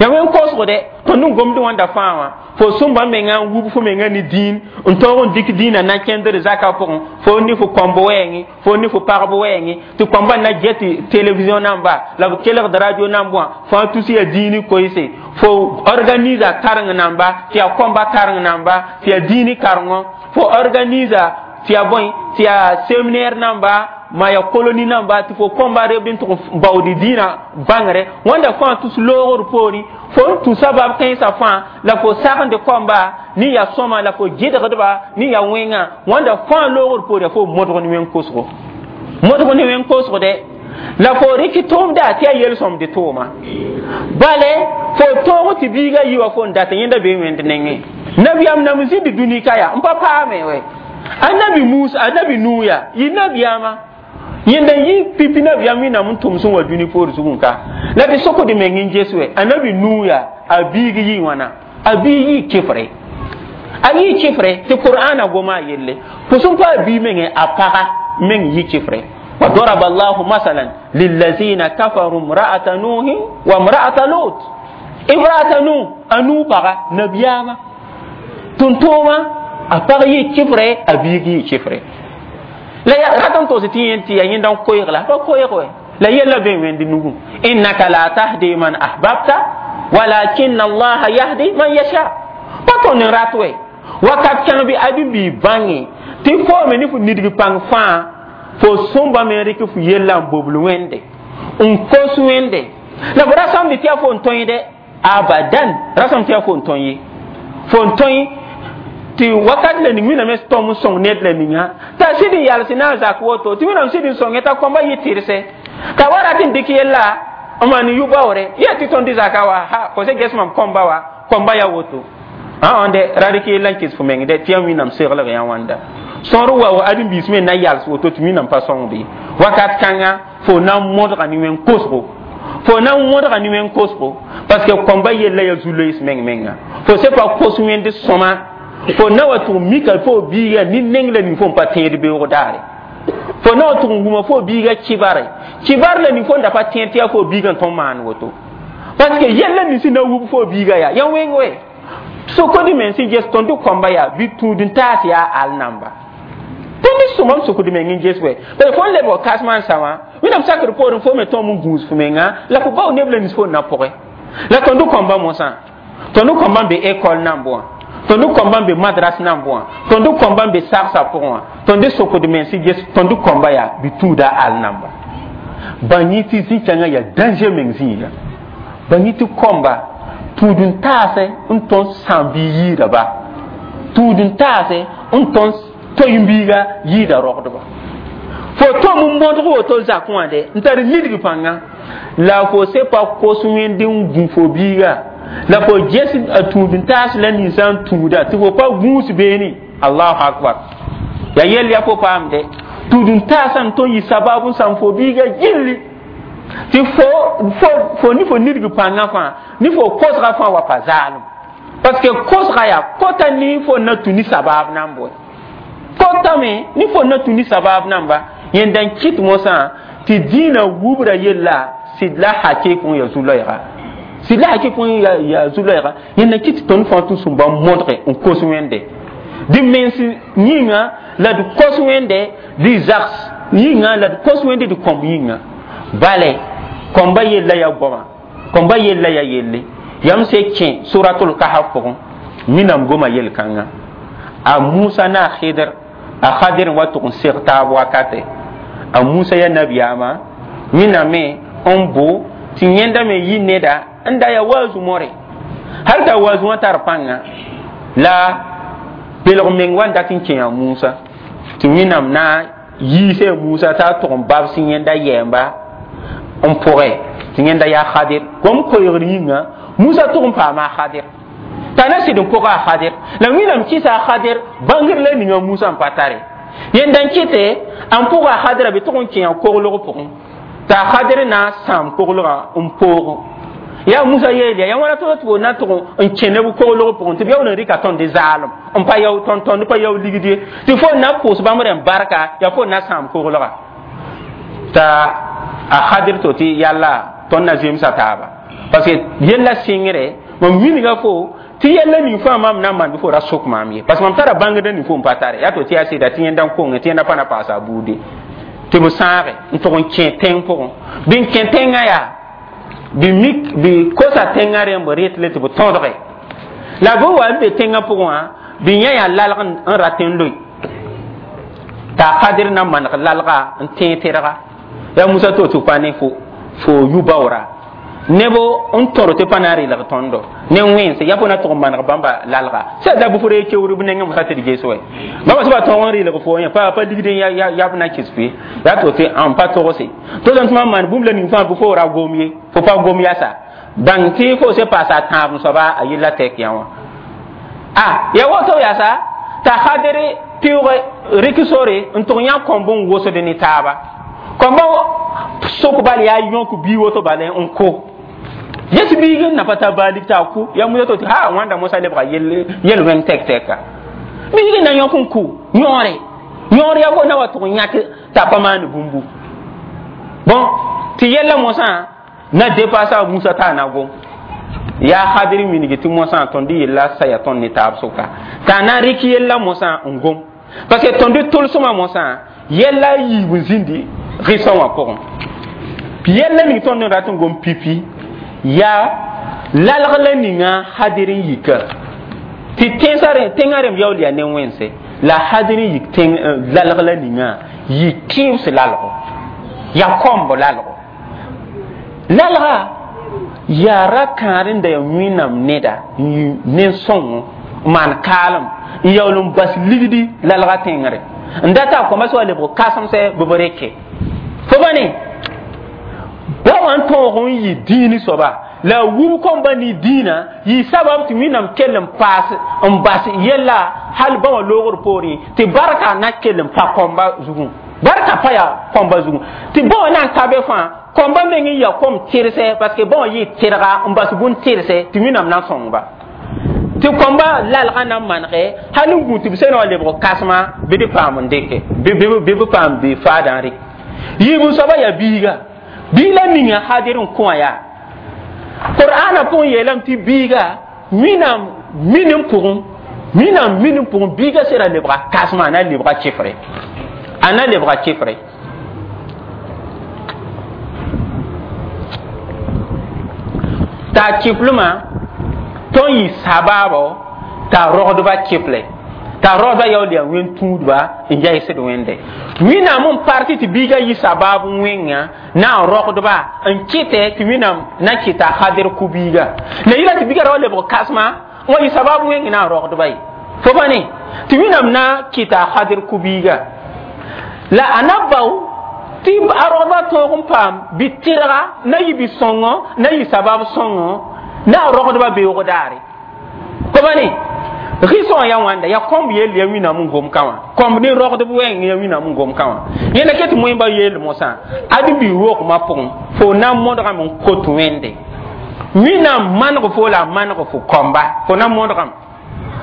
yaa wẽn kosgo dɛ. Tõnd n gomd wãnda fãa wã, fo sõmba menga n wub fo menga ne dĩin n tõog n dɩk dĩinã na kẽndr zakã pʋgẽ, fo ne fo kõmb wɛɛngẽ, fo ne fo pagb wɛɛngẽ, tɩ kõmba na get télévision namba la b kelgd radio namb wã fãa tus yaa dĩin koeese. Fo organisa kareng namba tɩ yaa kõmba kareng namba tɩ yaa dĩin karengo, fo organisa tɩ yaa bõe tɩ yaa séminaire namba ma ya colonie namba tɩ fo kõmba rebd n tʋg n baood dĩinã bãngre. Wãnda fãa tus loogr poorẽ, fo n tũ sabab kãensã fãa la fo sagend kõmba ne yaa sõma la fo gɩdgdba ne yaa wẽngã. Wãnda fãa loogr poore yaa fo modg ne wẽn kosgo, modg ne wẽn kosg dɛ. La fo rɩk tʋʋmda tɩ yaa yel-sõmd tʋʋma. Bale fo tõog tɩ biiga yi wa fo n dat yẽnda bee wẽnd nengẽ. Nabiyaam nam n zĩnd dũni ka yaa n pa paame wɛ. Annabi Musa, annabi Nuya yɩ nabiyaamã yẽnda n yɩ pipi nabiyaam Wẽnnaam n tʋm sẽn wa dũni poor zugẽ ka la tɩ sokd meng n ges wɛ. Annabi Nuya a biig yɩ wãna, a biig yɩ kɩfre, a yɩ kɩfre tɩ Qur'ana goma a yelle fo sẽn pa a bii mengẽ a paga meng yɩ kɩfre. وضرب الله مثلا للذين كفروا امرأة نوح وامرأة لوط. امرأة نوح أنو بغا نبياما تنتوما أبغي كفرة أبيغي كفرة لا راتن توسي تي يندان كويغ لا كويغ لا يلا بين وين دنوغو إنك لا تهدي من أحببت ولكن الله يهدي من يشاء. باتون راتوي wakat kãng bɩ adu-bi bãnge tɩ foome ne fo nidg pãng fãa fo sõmba me rɩk fo yella n bobl wẽnde n kos wẽnde la fo ra sãmd tɩ yaa fo n tõe dɛ abadan ra sãmb tɩ yaa fo n tõe ye fo n tõe tɩ wakat la ning Wẽnnaam tõm n sõng ned la ninga t'a sɩd n yals na n zak woto tɩ Wẽnnaam sɩd n sõnge t'a kõmba yɩ tɩrse t'a wa rat n dɩk yella n maan yʋ-baoore yaa tɩ tõnd zaka wa ha fo se ges mam kõmba wa kõmba ya woto ã de ra rɩk yella n kɩs fo meng dɛ tɩ yaa wẽnnaam seglg yã wãnda sõor wa wa ãdem-biis me na yals woto tɩ wẽnnaam pa sõng bɩ wakat kãnga fo na n modga ne wẽn kosgo fo na n modga ne wẽn kosgo parce que kõmba yella ya zu-loees meng menga fo se pa kos wẽnd sõma fo na wa tʋg mika fo biiga ne neng la ning fo n pa tẽed beoog daare fo na wa tʋg n wuma fo biiga kibare kibar la ning fo n da pa tẽed tɩ yaa fo biiga n tõnd maan woto parce que yella ning sẽn na wub fo biiga yaa ya wẽng we sokd meng sẽn ges tõnd kõmba yaa bɩ tũud n taas yaa al namba tõnd sõma m sokd meng n ges wɛ parce fo n lebg kasmã n sa wã wẽnnaam sakr poorẽ fo me tõm n gũus fo menga la fo bao neb la nins fo n na pʋgẽ la tõnd kõmba mosã tõnd kõmba n be école namb wã tõnd kõmba n be madras namb wã tõnd kõmba n be sagsã pʋgẽ wã tõnd sokd meng sẽn ges tõnd kõmba yaa bɩ tũuda al namba bãng yẽ tɩ zĩ-kãngã yaa danger meng zĩiga bãng yẽ tɩ kõmba tũud n taase n tõnd sãam bɩ yiida ba tũud n taase n tõnd toy-n-biiga yɩɩda rogdba fo tõm n modg woto zakẽ wã de n tar lidg pãnga la fo se pa kos wẽnd n gũ fo biiga la fo ges a tũud n taas la ninsã n tũuda tɩ fo pa gũus beene allahu akbar ya yell ya fo paamde tũud n taasã n tõnd yɩ sabab n sãm fo biiga gilli tɩ fo fo fo ne fo nidg pãngã fãa ne fo kosga fãa wa pa zaalem parce que kosga yaa kota ne fo na tũ ne sabab nan bʋe kotame ne fo na tũ ne sabab namba yẽnda n kɩt mosã tɩ dĩinã wubra yella sɩd la hakɩk n ya zu-loɛɛga sɩd la hakɩk n ya zu-loɛɛga yẽnda n kɩt tɩ tõnd fãa tũ sũmba modge n kos wẽnde dɩ mens yĩnga la d kos wẽnde dɩ zags yĩnga la d kos wẽnde d kõmb yĩnga bale kõmba yella ya goama kõmba yella ya yelle yam se kẽ suratul kahf pʋgẽ minam goma yel-kãngã a musa na a khidr a khadir wa tʋg n seg taab wakate a musa ya nabiyaama wẽnnaam n bo tɩ yẽnda me yɩ neda n da ya waazu more hal t'a waazu wã tar pãnga la belg meng wa n dat n kẽ a musa tɩ wẽnnaam na yiise musa t'a tʋg n babs yẽnda yɛɛmba n pʋgɛ tɩ yẽnda yaa khadir gom koeegr yĩnga musa tʋg n paama a khadir t'a na sɩd n pʋga a khadir la wẽnnaam kɩsa a khadir bãngr la ninga musa n pa tare yẽnda n kɩte n pʋga a khadira bɩ tʋg n kẽ a koglg pʋgẽ t'a khadir na n sãam koglgã n poog yaa musa yeel ya wãna tɩ tɩ na tʋg n kẽ neb koglg pʋgẽ tɩ b yaool n rɩka tõnd zaalem n pa yao tõnd tõnd pa yao ligd ye tɩ fo na pʋʋs bãmb rẽmb barka yaa fo na sãam koglga t'a a khadir to tɩ yalla tõnd na zemsa taaba parce que yella sɩngre mam wilga fo tɩ yella ning fãa mam na n maan bɩ fo ra sok maam ye parce que mam tara bãngdã ning fo n pa tare yaa to tɩ yaa sɩda tɩ yẽnda n konge tɩ yẽnda pa na paasa a buude tɩ b sãage n tʋg n kẽ tẽng pʋgẽ bɩ n kẽ tẽngã yaa bɩ mik bɩ kosa tẽngã rẽmb retle tɩ b tõdge la bɩ wa n be tẽngã pʋgẽ wã bɩ yã yaa lalg n rat n loe t'a kadir na maneg lalga n tẽeg tɩrga yaa musa to tɩ pa ne fo fo yʋ-baoora neb n tõr tɩ pa na n rɩlg tõndo ne wẽnse yaa fo na tʋg n maneg bãmba lalga sã la bʋ fo ree keoor b nengẽ mosã tɩ d ges wɛ bãmba sẽn pa tõog n rɩlg fo yẽ pa pa ligd yab na kɩs fɩ yaa to tɩ n pa togse to tɩ mam maan bũmb la ning fãa bɩ fo ra gom ye fo pa gom yasa bãng tɩ fo se paasa a tãab n soaba a yella tɛk yã wã a ya woto yasa t'a khadr pɩʋg rɩk sore n tʋg yã kõmb n wosd ne taaba kõmba sok bal yaa yõk bii woto bala n ko yes biig n na pa tar baalik t'a ku ya musa to tɩ ha wãnda mosã lebga yel wẽng tɛk tɛka biig n na yõk n ku yõore yõor ya fo na wa tʋg n yãk t'a pa maan bũmbu bon tɩ yella mosã na depasa musa t'a na gom yaa khadr mingi tɩ mosã tõnd yella saya tõnd ne taab sʋka t'a na rɩk yella mosã n gom parce que tõnd tʋlsmã mosã yella yiib n zĩndi rɩsã wã pʋgẽ yella ning tõnd n rat n gom pipi yaa lalg la ninga hadir n yika tɩ tẽnsã tẽngã rẽmb yaool yaa ne wẽnse la hadir n yik tẽng lalg la ninga yɩ kɩɩbs lalgo yaa kõmb lalgo lalga yaa ra kãad n da ya wẽnnaam neda n yɩ nen-sõngo n maan kaalem n yaool n bas ligdi lalga tẽngre n data a kõma sã wa lebg kãsemsɛ bɩ b reke fo ba ne Ba wã n tõog n yɩ dĩini soaba la wub kõmba ne dĩinã yɩ sabab tɩ Wẽnnaam kell n paas n bas yella hal ba wã loogr poorẽ tɩ barka na kell n pa kõmba zugẽ barka pa yaa kõmba zugẽ tɩ ba wã na n ka be fãa kõmba meng n ya kom tɩrse parce que ba wã yɩ tɩrga n bas bũn tɩrse tɩ Wẽnnaam na n sõng-ba tɩ kõmba lalgã na n manege hal n gũ tɩ b sẽn wa lebg kãsema bɩ d paam n dɩke bɩ b paam bɩ faadã n rɩk yiib soaba yaa biiga biig la ninga hadir n kõ yaa qur'ana pʋgẽ yeelame tɩ biiga Wẽnnaam minim pʋgẽ Wẽnnaam minim pʋgẽ biiga sera lebga kãsema a na lebga kɩfre a na lebga kɩfre t'a kɩflmã tõn yɩ sabaabo t'a rogdba kɩfle t'a rogdba yaool yaa wẽn-tũudba n yaɩsd wẽnde Wẽnnaam n parti tɩ biiga yɩ sabaab wẽnga na n rogdba n kɩtɛ tɩ Wẽnnaam na kɩta hadir ku-biiga la yɩla tɩ biiga ra wa lebg kãsema n wa yɩ sabaab wẽng na n rogdba ye fo pa ne tɩ Wẽnnaam na kɩta hadir ku-biiga la a na bao tɩ a rogdba tõog n paam bɩ tɩrga na yɩ bɩ sõngo na yɩ sabab sõngo na a rogdba beoog daare fo pa ne rɩsõ ya wãnda ya kõmb yell ya Wẽnnaam n gom ka wã kõmb ne rogdb wɛɛng ya Wẽnnaam n gom ka wã yẽnda ket moẽmba yeel mosã ad bi rogmã pʋgẽ fo na n modgame n kot wẽnde Wẽnnaam maneg fo la a maneg fo kõmba fo na modgame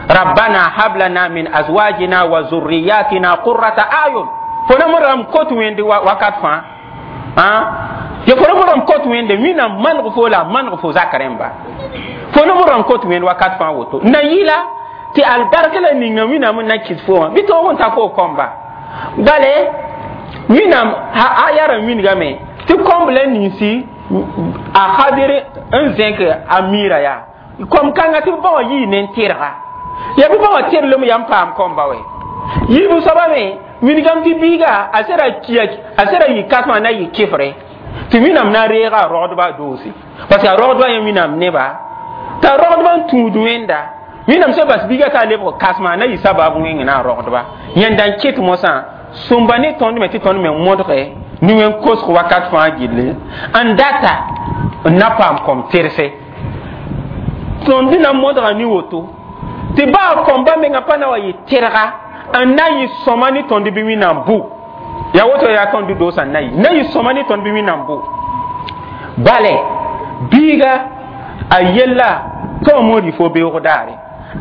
rabbana hab lana min azwajina wa zurriyatina qurrata ayun fo na modgame kot wẽnde wakat fãa ya fo na modgame kot wẽnde Wẽnnaam maneg fo la a maneg fo zak rẽmba fo na modgame kot wẽnd wakat fãa woto na yɩla tɩ albarka la ninga Wẽnnaam n na kɩs fo wã bɩ tõog n ta fo kõmba bale Wẽnnaam a yara wingame tɩ kõmb la ninsi a hadir n zẽk a miirã yaa kom kãnga tɩ b ba wã yii ne n tɩrga yaa bɩ ba wã tɩrlem yaa n paam kõmba wɛ yiib soaba me wingame tɩ biiga a sera kia a sera yɩ kãsmã na yɩ kɩfre tɩ Wẽnnaam na reega a rogdba doose parce que a rogdba yẽ Wẽnnaam neba t'a rogdba n tũud wẽnda Wẽnnaam sẽn bas biiga t'a lebg kãsema na yɩ sabab wẽng na a rogdba yẽnda n kɩt mosã sõmba ne tõnd me tɩ tõnd me modge ne wẽn-kosg wakat fãa gilli n data n na paam kom tɩrse tõnd na modga ne woto tɩ baa kõmba menga pa na wa yɩ tɩrga n na yɩ sõma ne tõnd bɩ Wẽnnaam bʋ yaa woto yaa tõnd doosã n na yɩ na yɩ sõma ne tõnd bɩ Wẽnnaam bʋ bale biiga a yella tɩ wã mood yɩ fo beoog daare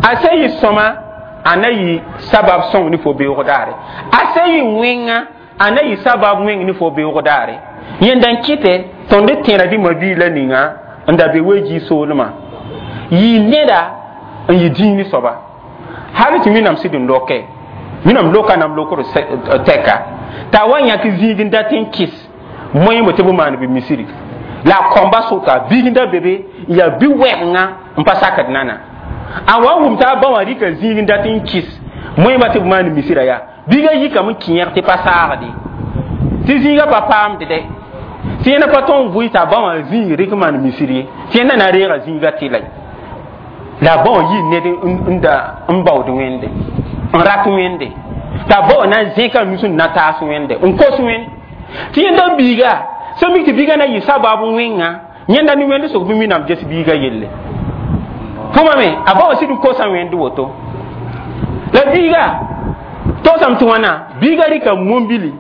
a sẽn yɩ sõma a na yɩ sabab sõng ne fo beoog daare a sẽn yɩ wẽnga a na yɩ sabab wẽng ne fo beoog daare yẽnda n kɩtɛ tõnd tẽera dĩmã bii la ninga n da be weji soolmã yɩ neda n yɩ dĩini soaba hal tɩ Wẽnnaam sɩd n loke Wẽnnaam loka nam lokr tɛka t'a wa yãk zĩig n dat n kɩs moẽmbe tɩ b maan bɩ misiri la a kõmba sʋka biig n da be be yaa bi-wɛgenga n pa sakd nana a wa wʋm t'a ba wã rɩka zĩig n dat n kɩs moẽmba tɩ b maan misirã yaa biigã yikame n kẽeg tɩ pa saagde tɩ zĩigã pa paamd dɛ tɩ yẽna pa tõnd vʋɩ t'a ba wã zĩig rɩk maan misir ye tɩ yẽnda na reega zĩigã tɩla la ba wã yɩ ned n da n baood wẽnde n rat wẽnde t'a ba wã na n zẽka nus n na taas wẽnde n kos wẽnd tɩ yẽnda biiga sẽn mik tɩ biigã na yɩ sabab wẽnga yẽnda ne wẽnd sʋk bɩ Wẽnnaam ges biigã yelle fõma me a ba wã sɩd n kosa wẽnd woto la biiga toosame tɩ wãna biiga rɩka mombili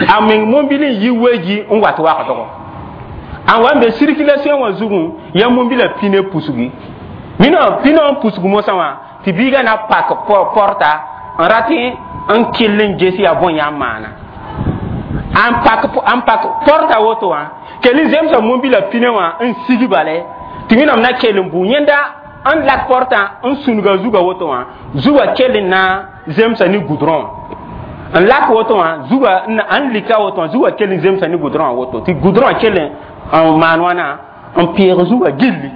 a meng mombili n yi weji n wat wagdgo a wa n be circulation wã zugẽ yaa mombila pine pusgi mina pina n pusg mosã wã tɩ biiga na pak porta n rat n kell n ges yaa bõe yaa n maana n pak n pak porta woto wã kell n zemsa mombila pine wã n sig bale tɩ Wẽnnaam na kell n bʋ yẽnda n lak porta n sũnga zuga woto wã zuga kell n na zemsa ne goudron n lak woto wã zuga n lika woto wã zuga kell n zemsa ne goudron wã woto tɩ goudron kell n maan wãna n peeg zuga gilli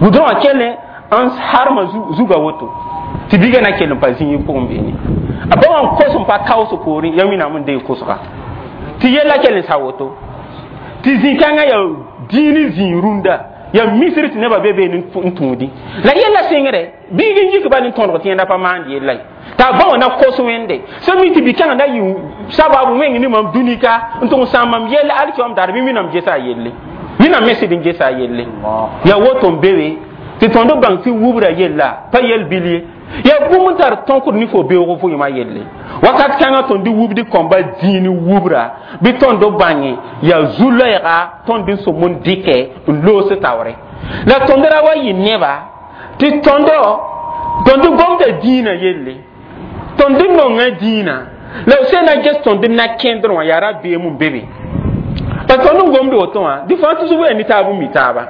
goudron wã kell n harma zuga woto tɩ biiga na kell n pa zĩig pʋgẽ beene a ba wã n kos n pa kaoos poorẽ yaa Wẽnnaam n deeg kosga tɩ yella kell n sa woto tɩ zĩ-kãngã yaa dĩini zĩig rũndã Ya misr tɩ nebã be beene n tũudi la yella sɩngre biig n yik ba ne tõdg tɩ yẽnda pa maand yella ye t'a bã wã na kos Wẽnde sẽn mi tɩ bi-kãngã na yɩ sababu wẽng ne mam dũnika n tʋg n sãam mam yell alkiyoom daar bɩ minam gesa a yelle, minam me sɩd n gesa a yelle. Ya woto n be be tɩ tõnd bãng tɩ wubra yella pa yel bil ye, ya bũmb n tar tõkd ne fo beoogo vʋɩmã yelle. Wakat kãngã tõnd wubd kõmba dĩin wubra bɩ tõnd bãnge yaa zu-loɛɛga tõnd n sõm n dɩkɛ n loos taoore la tõnd ra wa yɩ neba tɩ tõndo tõnd gomda dĩinã yelle, tõnd nonga dĩinã la b sẽn na ges tõnd na kẽndr wã yaa rabeem n be be pa tõnd n gomd woto wã dɩ fãa tusg yaa ne taab n mi taaba.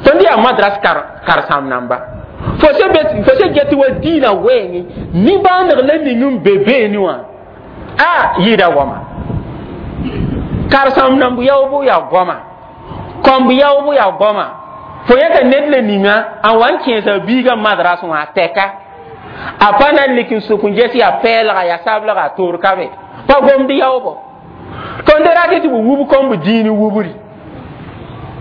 Tõnd yaa madras karsãm namba fo se get wa dĩinã wɛɛngẽ nimbãaneg la ning n be beene wã a yɩɩda goama karsãm namb yaoobo yaa goama kõmb yaoobo yaa goama fo yãka ned la ninga a wa n kẽesa biigã madras wã a tɛka a pa na n lik n sʋk n ges yaa pɛɛlga yaa sablega a toor ka be pa gomd yaoobo. Tõnd rat tɩ b wub kõmb dĩin wubri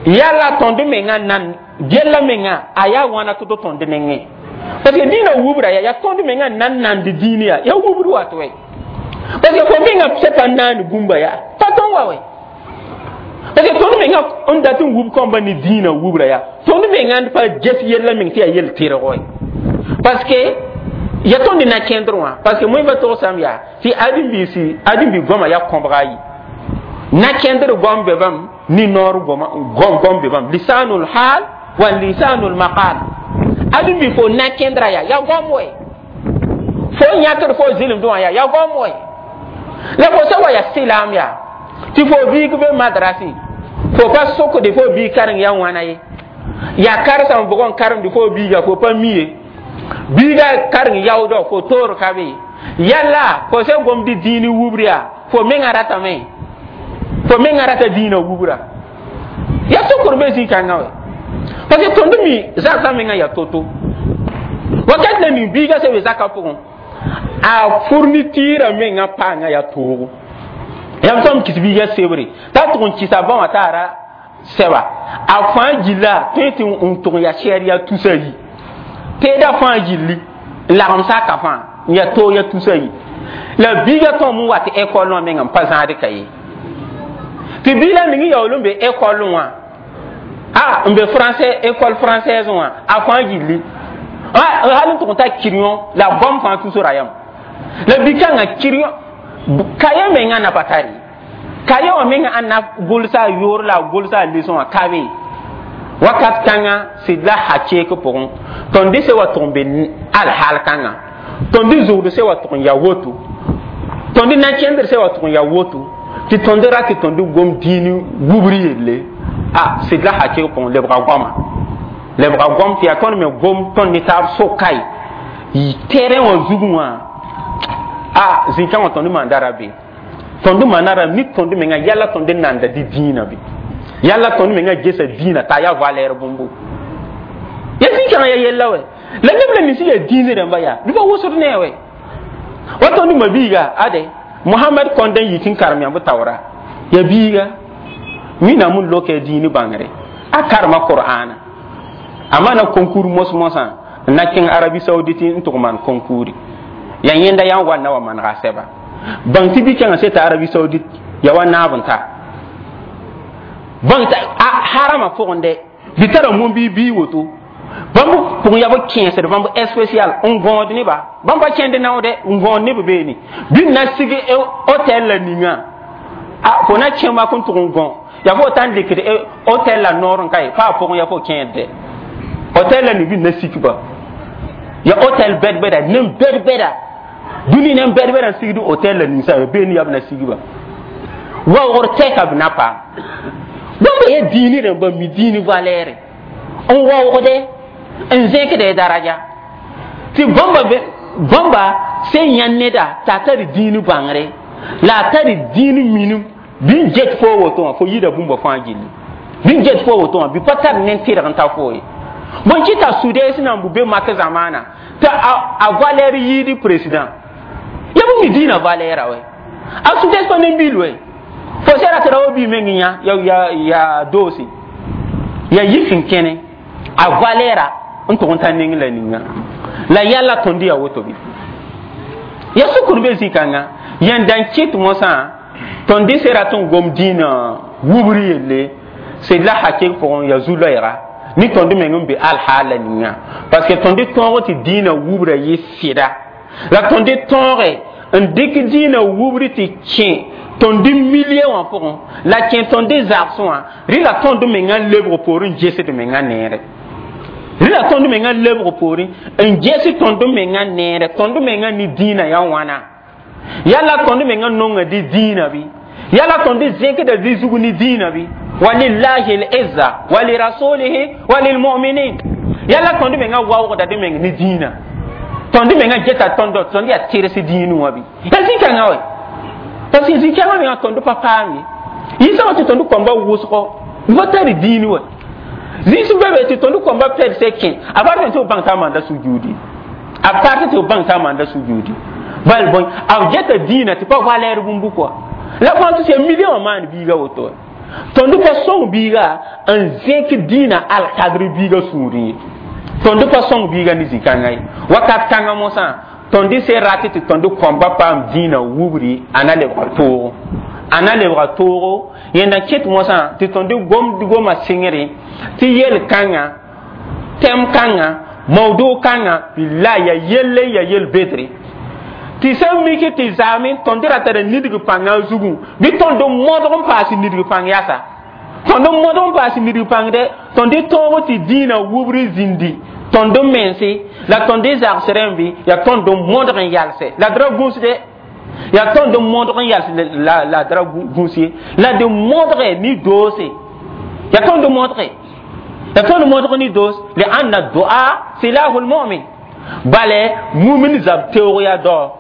yala tõnd menga nan gella menga a yaa wãna tɩ to tõnd nengẽ parce que dĩinã wubra ya yaa tõnd menga nan nand dĩin yaa yaa wubr wat wɛ parce que fo menga sẽn pa naand bũmba yaa pa tõn wa wɛ parce que tõnd menga n dat n wub kõmba ne dĩinã wubra yaa tõnd menga n pa ges yella meng tɩ yaa yel tɩrg wɛ parce que ya tõnd na kẽndr wã parce que moẽ pa togsame yaa tɩ ãdem-biisi ãdem-bi goama yaa kõbga ayi na kẽndr goam be bãmb ni noor goam goam be bãmb lisanul hal wa lisanul maqal. Ãdem-bi fo na kẽndra yaa ya goam wɛ fo yãkd fo zɩlemdẽ wã yaa ya goam wɛ la fo sã wa yaa sɩlaam yaa tɩ fo biig be madrasẽ fo pa sokde fo biig kareng yaa wãna ye yaa karsãm bʋgẽ n karemde fo biiga fo pa mi ye biiga kareng yaoodɔ fo toor ka be yalla fo sẽn gomd dĩin wubr yaa fo menga ratame fo menga rata dĩinã wubra yaa sokr be zĩ-kãngã wɛ parce que tõnd mi zagsã menga yaa to-to wakat la ning biiga sẽn be zakã pʋgẽ a fournitira menga paanga yaa toogo yam tõm kis biiga sebre t'a tʋg n kisa bã wã t'a ra sɛba a fãa gilla tõe tɩ n tʋg yaa sɛɛr yaa tusa yi teeda fãa gilli n lagem saka fãa n yaa toog yaa tusa yi la biiga tõem n wa tɩ école wã menga n pa zãad ka ye tɩ biig la ning yaool n be école wã a n be français école française wã a fãa gilli hal n tʋg n ta crayon la goam fãa tusra yam la bi-kãngã crayon kaye menga na pa tari kaye wã menga ãn na gʋlsa a yoor la a gʋlsa a leçon wã ka be wakat kãngã sɩd la hakeek pʋgẽ tõnd se wa tʋg n be alhaal kãngã tõnd zugd se wa tʋg n yaa woto tõnd na kẽndr se wa tʋg n yaa woto tɩ tõnd ra tɩ tõnd gom dĩin wubr yelle a sɩd la hakeek pʋgẽ lebga goama lebga goam tɩ yaa tõnd me gom tõnd ne taab soka ye terrain wã zugẽ wã a zĩ-kãngã tõnd maanda ra be tõnd maana ra ni tõnd menga yala tõnd nanda dɩ dĩinã be yalla tõnd menga gesa dĩinã t'a yaa valeur bũmbu ya zĩ-kãngã ya yella wɛ la neb la nins yaa dĩin rãmba yaa bɩ pa wʋsd ne wɛ wa tõnd mabiiga ade Mohamɛd kõnd n yik n karem yãmb taoora ya biiga wẽnnaam n loka dĩin bãngre a karema Qur'ana a maana concours mos-mosã n na kẽng Arabie Saoudite n tʋg maan concours ya yẽnda yaa n wa na wa manega a sɛba bãng tɩ bi-kãngã seta Arabie Saoudite ya wa naab n ta bãng t'a harama pʋgẽ bɩ tara moan-bii bii woto bãmb pʋgẽ yaa b kẽesd bãmb spécial n gõod neba bãmb pa kẽnd naoodɛ n gõod neb beene bɩ na sig hôtel la ninga a fo na kẽ mak n tʋg n gõ ya fo ta n dɩkd hôtel la noor n ka ye pa a pʋgẽ ya fo kẽedde hôtel la ni bɩ na sik ba ya hôtel bɛd-bɛda nem bɛd-bɛda dũni nem bɛd-bɛda n sigd hôtel la ninsa ya beene yaa b na sig ba waoogr tɛka b na paam bãmba yaa dĩini rãmba mi dĩin valɛɛre n waoogde n zẽkd daraja tɩ bãmba bãmba sẽn yã neda t'a tar dĩin bãngre la a tar dĩin minim bɩ n get fo woto wã fo yida bũmba fãa gilli bɩ n get fo woto wã bɩ pa tar nen tɩrg n ta fo ye bõn kɩta Sudes nan bu be mak zamana t'a a valeur yiidi président ya bũ mi dĩinã valeur a wɛ a Sudes pa ne bil wɛ fo sẽra tɩ ra wa bii meng yã ya ya ya doosi Ya yik n kẽne a valɛɛra n tʋg n ta neng la ninga la yalla tõnd ya woto bɩ ya sukr be zĩ-kãnga yẽnda n kɩt mosã tõnd se rat n gom dĩinã wubr yelle sed la hakɩg pʋgẽ ya zu-loɛɛga ni tõnd meng n be alhaal la ninga parce que tõnd tõog tɩ dĩinã wubra yɩ sɩda la tõnd tõoge n dɩk dĩinã wubr tɩ kẽ tõnd milie wã pʋgẽ la kẽ tõnd zagsẽ wã rɩ la tõnd mengã lebg poorẽ n gesd mengã neere rɩ la tõnd mengã lebg poorẽ n ges tõnd mengã neere tõnd mengã ne dĩinã yaa wãna yala tõnd mengã nonga dɩ dĩinã bɩ yala tõnd zẽkda dɩ zug ne dĩinã bɩ ولله العزة ولرسوله وللمؤمنين yala tõnd mengã waoogda dɩ meng ne dĩinã tõnd mengã geta tõnd tõnd yaa tɩrs dĩinẽ wã bɩ ya zĩ-kãngã wɛ parce que zĩ-kãngã mengã tõnd pa paam ye yɩ-sã tɩ tõnd kõmba wʋsgɔ va tar dĩinẽ wɛ zĩis be be tɩ tõnd kõmba pɛdsɛ kẽ a pa tɩ b bãng t'a maanda sujudi a pa tɩ b bãng t'a maanda sujudi bal bõe a geta dĩinã tɩ pa valɛɛr bũmb kɔa la fãa tɩ sẽn million wã maan biiga woto tõnd pa sõng biiga n zẽk dĩinã alkadr biiga sũurẽ ye tõnd pa sõng biiga ne zĩ-kãngã ye wakat kãngã mosã tõnd se rat tɩ tõnd kõmba paam dĩinã wubri a na lebga toogo a na lebga toogo yẽnda kɩt mosã tɩ tõnd gomd goma sɩngre tɩ yel kãngã tɛm kãngã mawdo kãngã la ya yelle ya yel bedre tɩ sẽn mik tɩ zaame tõnd ra tara nidg pãngã zugu bɩ tõnd modg n paas nidg pãng yasa tõnd modg n paas nidg pãng dɛ tõnd tõog tɩ dĩinã wubr zĩndi tõnd mense la tõnd zags rẽmbe yaa tõnd modg n yalse la d ra gũsde yaa tõnd modg n yals la la d ra gũs ye la d modge ni doose yaa tõnd modge yaa tõnd modg ni doos لأن الدعاء سلاح المؤمن bale mumin zab teoog yaa dao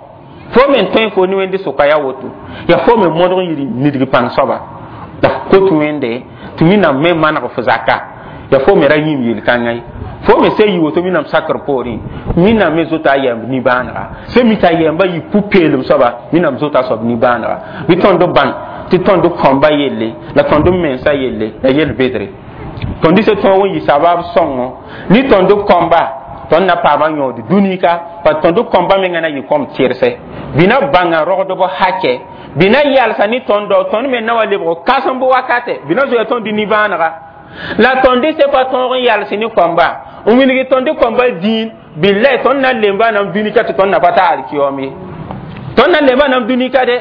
fo men tõe fo ne wẽnde sʋka yaa woto yaa fo me modg n yɩ nidg pãng soaba la f kot wẽnde tɩ wẽnnaam me maneg f zaka yaa fo me ra yĩm yel-kãngã ye fo me se yi woto wẽnnaam sakr poorẽ wẽnnaam me zota a yɛmb nimbãanega sẽn mi t'a yɛmba yɩ pu-peelem soaba wẽnnaam zota a soab nimbãanega bɩ tõnd bãng tɩ tõnd kõmba yelle la tõnd mensã yelle la yel bedre tõnd se tõog n yɩ sabab sõngo ne tõnd kõmba tõnd na paama yõod dũnika pa tõnd kõmba menga na yɩ kom tɩrse bɩ na bãnga rogdb hakɛ bɩ na yalsa ne tõndo tõnd me na wa lebg kãsemb wakate bɩ na zoya tõnd nimbãanega la tõnd se pa tõog n yals ne kõmba n wilg tõnd kõmba dĩin billahi tõnd na lemba nam dũnika tɩ tõnd na pa ta alkiyom ye tõnd na lemba nam dũnika dɛ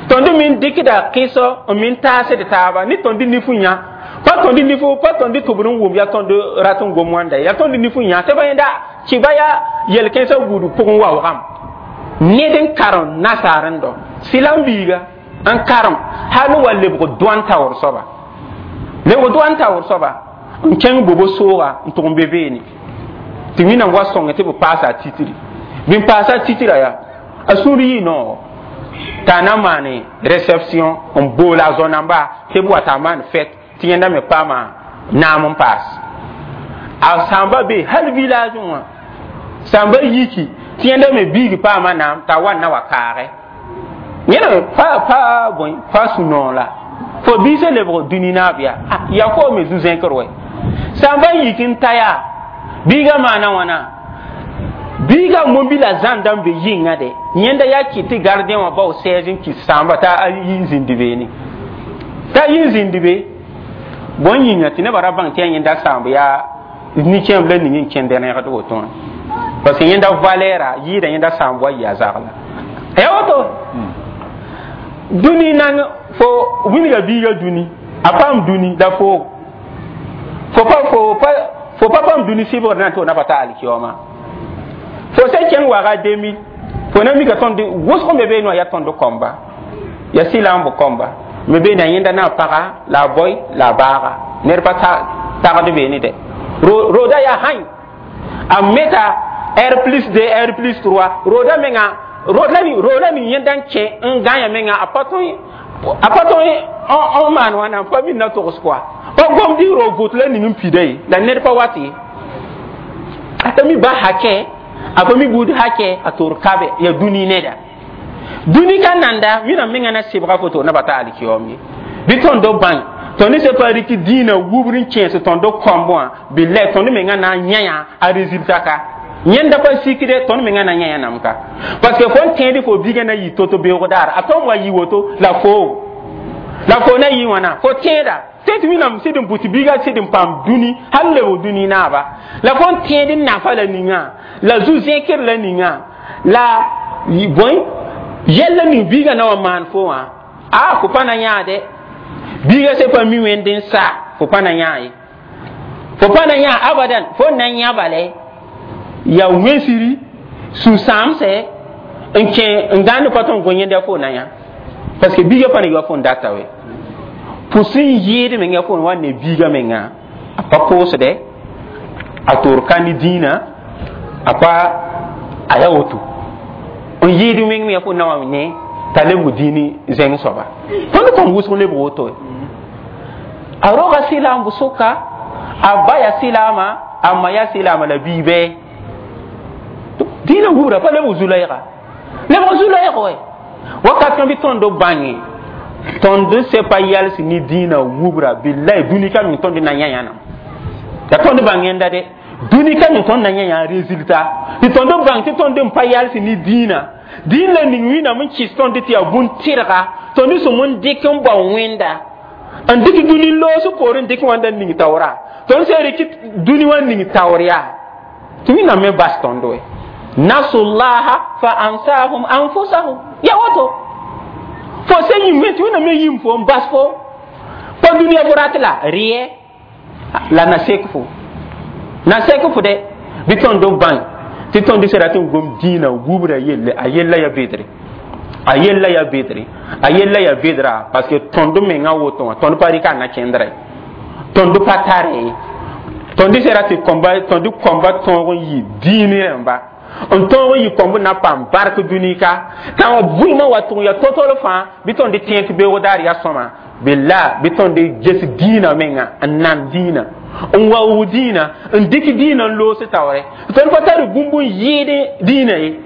tõnd min dɩkda kɩsɔ n min taasd taaba ne tõnd nif n yã pa tõnd nif pa tõnd tʋbr n wʋm yaa tõnd rat n gom wãnda yaa tõnd nif n yã tɩ ba yẽnda kɩba yaa yel-kẽnsã gũud pʋgẽ waoogame ned n karem nasaar n dɔ sɩlam biiga n karem hal wa lebg doan taoor soaba lebg doan taoor soaba n kẽng bobo sooga n tʋg n be beene tɩ wẽnnaam wa sõnge tɩ b paasa a titri bɩ n paasa a titra yaa a sũur yɩ noogo t'a na maane réception n boola a zõ-namba tɩ b wa t'a maan fête tɩ yẽnda me paama naam n paas a sãmba be hal village wã sãmba yiki tɩ yẽnda me biig paama naam t'a wa na wa kaage yẽna me pa pa bõe pa sũ-noog la fo biisã lebg dũni naab yaa ya fo me zu-zẽkr wɛ sãmba yik n ta yaa biigã maana wãna biigã mombila zãnda n be yɩnga de yẽnda yaa kɩt tɩ gardien wã bao sɛɛs n kis sãamba t'a yi n zĩnd beene t'a yi n zĩnd be bõn yĩnga tɩ nebã ra bãng tɩ yaa yẽnda sãamb yaa nin-kẽemb la ning n kẽnd rẽgd woto wã parce que yẽnda valɛɛra yɩɩda yẽnda sãamb wa yɩ a zagla ya woto dũni nang fo wilga biiga dũni a paam dũni la fo fo pa fo pa fo pa paam dũni sɩbgr na n tɩ fo na pa ta alkiyooma fo sẽn kẽng waga deux mille fo na mika tõnd wʋsg me beene wã yaa tõnd kõmba ya sɩla n b kõmba me beene a yẽnda na paga la a boy la a baaga ned pa tagd beene dɛ roda yaa hãy a meta R plus deux R plus trois roda menga roda ni roda ni yẽnda n kẽ n gãya menga a pa tõe a pa tõe n maan wãna pa min na togs kɔa pa gomd y ro vʋt la ning n pida ye la ned pa wat ye a ta mi ba hakɛ a pa mi buud hakɛ a tor kabe ya dũni neda dũni ka nanda wẽnnaam menga na sɩbga foto na pa ta alkiyoom ye bɩ tõnd bãng Tõnd se pa rɩk dĩinã wubr n kẽes tõnd kõmb wã, billahi, tõnd menga na n yã a résultat ka. Yẽnda pa sikde, tõnd menga na yã yãnam ka, parce que fo n tẽed fo biigã na yɩ to-to beoog daar, a tõm wa yɩ woto la fo la fo na yɩ wãna fo tẽeda tẽ tɩ Wẽnnaam sɩd n bʋ tɩ biigã sɩd n paam dũni hal lebg dũni naaba. La fo n tẽed n nafa la ninga la zu-zẽkr la ninga la bõe yɛl la ning biigã na wa maan fo wã, a fo pa na yãade. Biigã se pa mi wẽnd n sa, fo pa na yã ye, fo pa na yã abadan. Fo na yã bale ya wẽnsiri sũ-sãamsɛ n kẽ n gãnd pa tõnd gõ yẽnda fo na yã, parce que biigã pa na yɩ wa fo n data we pʋs n yɩɩd menga fo n wa ne biigã menga a pa pʋʋsdɛ, a toor ka ne dĩinã, a pa a ya woto n yɩɩd wẽng me fo na wa ne t'a lebg dĩini zẽng soaba. Tõnd kõm wʋsg lebg woto a roga sɩlaam soka, a ba ya sɩlaama, a ma ya sɩlaama la bii bɛɛ dĩinã wubra pa lebg zu-loɛɛga, lebg zu-loɛɛg wɛ. Wakat kã bɩ tõnd bãnge tõnd se pa yals ne dĩinã wubra, billahi, dũni ka meng tõnd na yã yãnam ya. Tõnd bãng yẽnda de, dũni ka meng tõnd na yã yã résultat tɩ tõnd bãng tɩ tõnd n pa yals ne dĩinã. Dĩin la ning Wẽnnaam n kɩs tõnd tɩ yaa bũn-tɩrga, tõnd sẽm n dɩk n bao Wẽnda n dɩk dũni loos poorẽ n dɩk wãnda ning taoora. Tõnd sẽn rɩk dũni wã ning taoor yaa tɩ Wẽnnaam me bas tõnd we nasullaha fa ansahum anfusahum. Ya woto fo se yĩm tɩ Wẽnnaam me yĩm fo n bas fo pa dũniyã fo rat la rɩɛ la na sek fo, na sek fo de. Bɩ tõnd bãng tɩ tõnd sẽn rat n gom dĩinã wubra yelle, a yella ya bedre, a yella ya bedre, a yella ya bedra, parce que tõnd menga woto wã, tõnd pa rɩka na kẽndrɛ, tõnd pa tare ye. Tõnd sẽn rat tɩ kõmba, tõnd kõmba tõog n yɩ dĩin rẽmba n tõog n yɩ kõmb na paam bark dũni ka tã wã vɩɩmã wa tʋg ya totol fãa. Bɩ tõnd tẽ tɩ beoog daar ya sõma, bella, bɩ tõnd ges dĩinã menga n nan dĩinã, n waoog dĩinã, n dɩk dĩinã n loos taoore. Tõnd pa tar bũmb n yɩɩd dĩinã ye.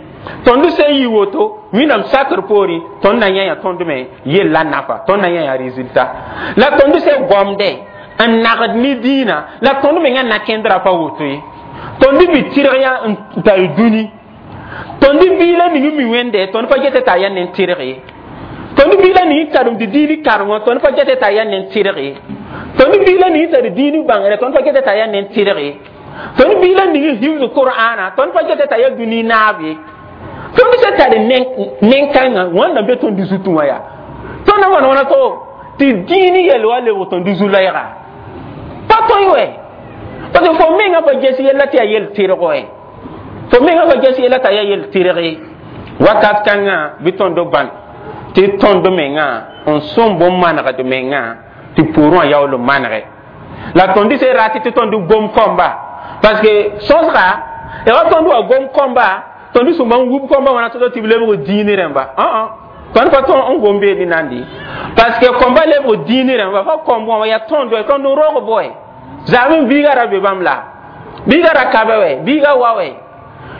Tõnd sẽn yɩ woto Wẽnnaam sakr poorẽ, tõnd na yã tõnd me yella nafa, tõnd na yã résultat la tõnd sẽn gomdɛ n nagd ne dĩinã la tõnd menga na kẽndrã pa woto ye. Tõnd bɩ tɩrg yã n tar dũni, tõnd biila ning mi wẽnde, tõnd pa get t'a yaa nen tɩrg ye. Tõnd biila ning karemd dĩini karengõ, tõnd pa get t'a yaa nen tɩrg ye. Tõnd biila ning tar dĩini bãngre, tõnd pa get t'a yaa nen tɩrg ye. Tõnd biila ning hifz Qur'ana, tõnd pa get t'a yaa dũni naab ye. Tõnd sẽn tar nen-kãngã wãnda be tõnd zutẽ wã yaa tõnd na maan wãna to tɩ dĩini yɛl wa lebg tõnd zu-loɛɛga pa tõe wɛ, parce que fo menga pa ges yella tɩ yaa yel tɩrg wɛ, fo menga pa ges yella t'a yaa yel tɩrg ye. Wakat kãngã bɩ tõnd bãn tɩ tõnd menga n sõm bõn-manegd menga tɩ pʋʋrẽ wã yaool n manege la tõnd sẽn rat tɩ tõnd gom kõmba, parce que sõsga ya wa tõnd wa gom kõmba, tõnd sũmba n wub kõmba wãna tɩ tɩ b lebg dĩini rẽmba. Tõnd pa tõn n gom beed nandi, parce que kõmba lebg dĩini rẽmba fa kõmb wã yaa tõnd tõnd n roog boe zaam biiga ra be bãmb la biiga ra kabe wɛ, biiga wa wɛ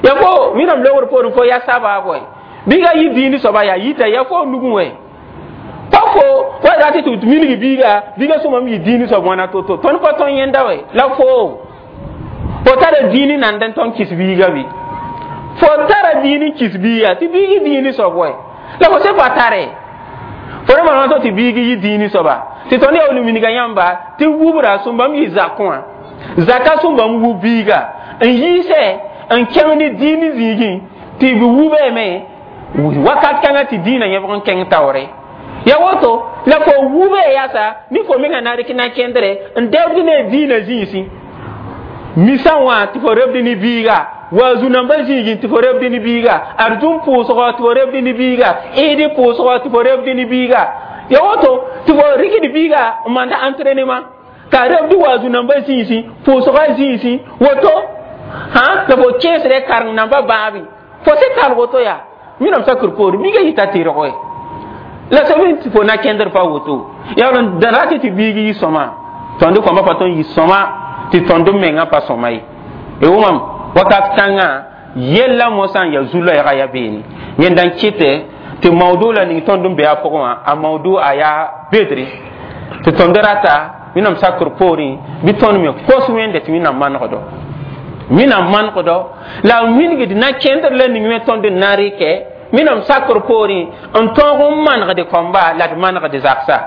ya fo Wẽnnaam logr poorẽ, fo ya sabaab wɛ, biiga yɩ dĩini soaba yaa yita ya fo nugẽ wɛ pa fo wa rat tɩ milg biiga, biiga sõmam yɩ dĩini soab wãna to-to. Tõnd pa tõn yẽnda wɛ la fo fo tara dĩini nand n tõn kɩs biiga bɩ fo tara dĩini kɩs biiga tɩ biig dĩini soab wɛ la fo se pa tare fo ra maan tɩ biig yɩ dĩini soaba tɩ tõnd yaool minga yãmba tɩ wubra sũmbam yɩ zakẽ wã, zaka sũmbam wub biiga n yiisɛ n kẽng ne dĩini zĩigẽ tɩ b wubame wakat kãngã tɩ dĩinã yẽbg n kẽng taoore ya woto la fo wube yasa ni fo menga na rɩk na kẽndre n dɛbd ne dĩinã zĩisẽ misã wã tɩ fo rebd ne biiga wa zu-nambã zĩigẽ tɩ fo rebd ne biiga arzũm pʋʋsgɔ tɩ fo rebd ne biiga ɩɩd pʋʋsgɔ tɩ fo rebd ne biiga ya woto tɩ fo rɩkd biiga n manda entraînement ka rebd wa zu-nambã zĩisẽ pʋʋsgã zĩisẽ woto hã la fo kẽesdɛ kareng nambã bãabe fo se talg woto yaa Wẽnnaam sakr poore biiga yita tɩrg wɛ la sẽb tɩ fo na kẽndr pa woto yaa n rat tɩ biig yɩ sõma. Tõnd kõmba pa tõnd yɩ sõma tɩ tõnd mengã pa sõma ye. Y wʋmam wakat kãngã yella mosã n yaa zu-loɛɛga ya beene yẽnda n kɩtɛ tɩ maudu la ning tõnd n be a pʋgẽ wã, a maudu a yaa bedre. Tɩ tõnd rata Wẽnnaam sakr poorẽ bɩ tõnd me kos Wẽnde tɩ Wẽnnaam manegdo, Wẽnnaam manegdo la wilgd na kẽndr la ning me tõnd n na rɩkɛ Wẽnnaam sakr poorẽ n tõog n manegd kõmba la d manegd zaksa,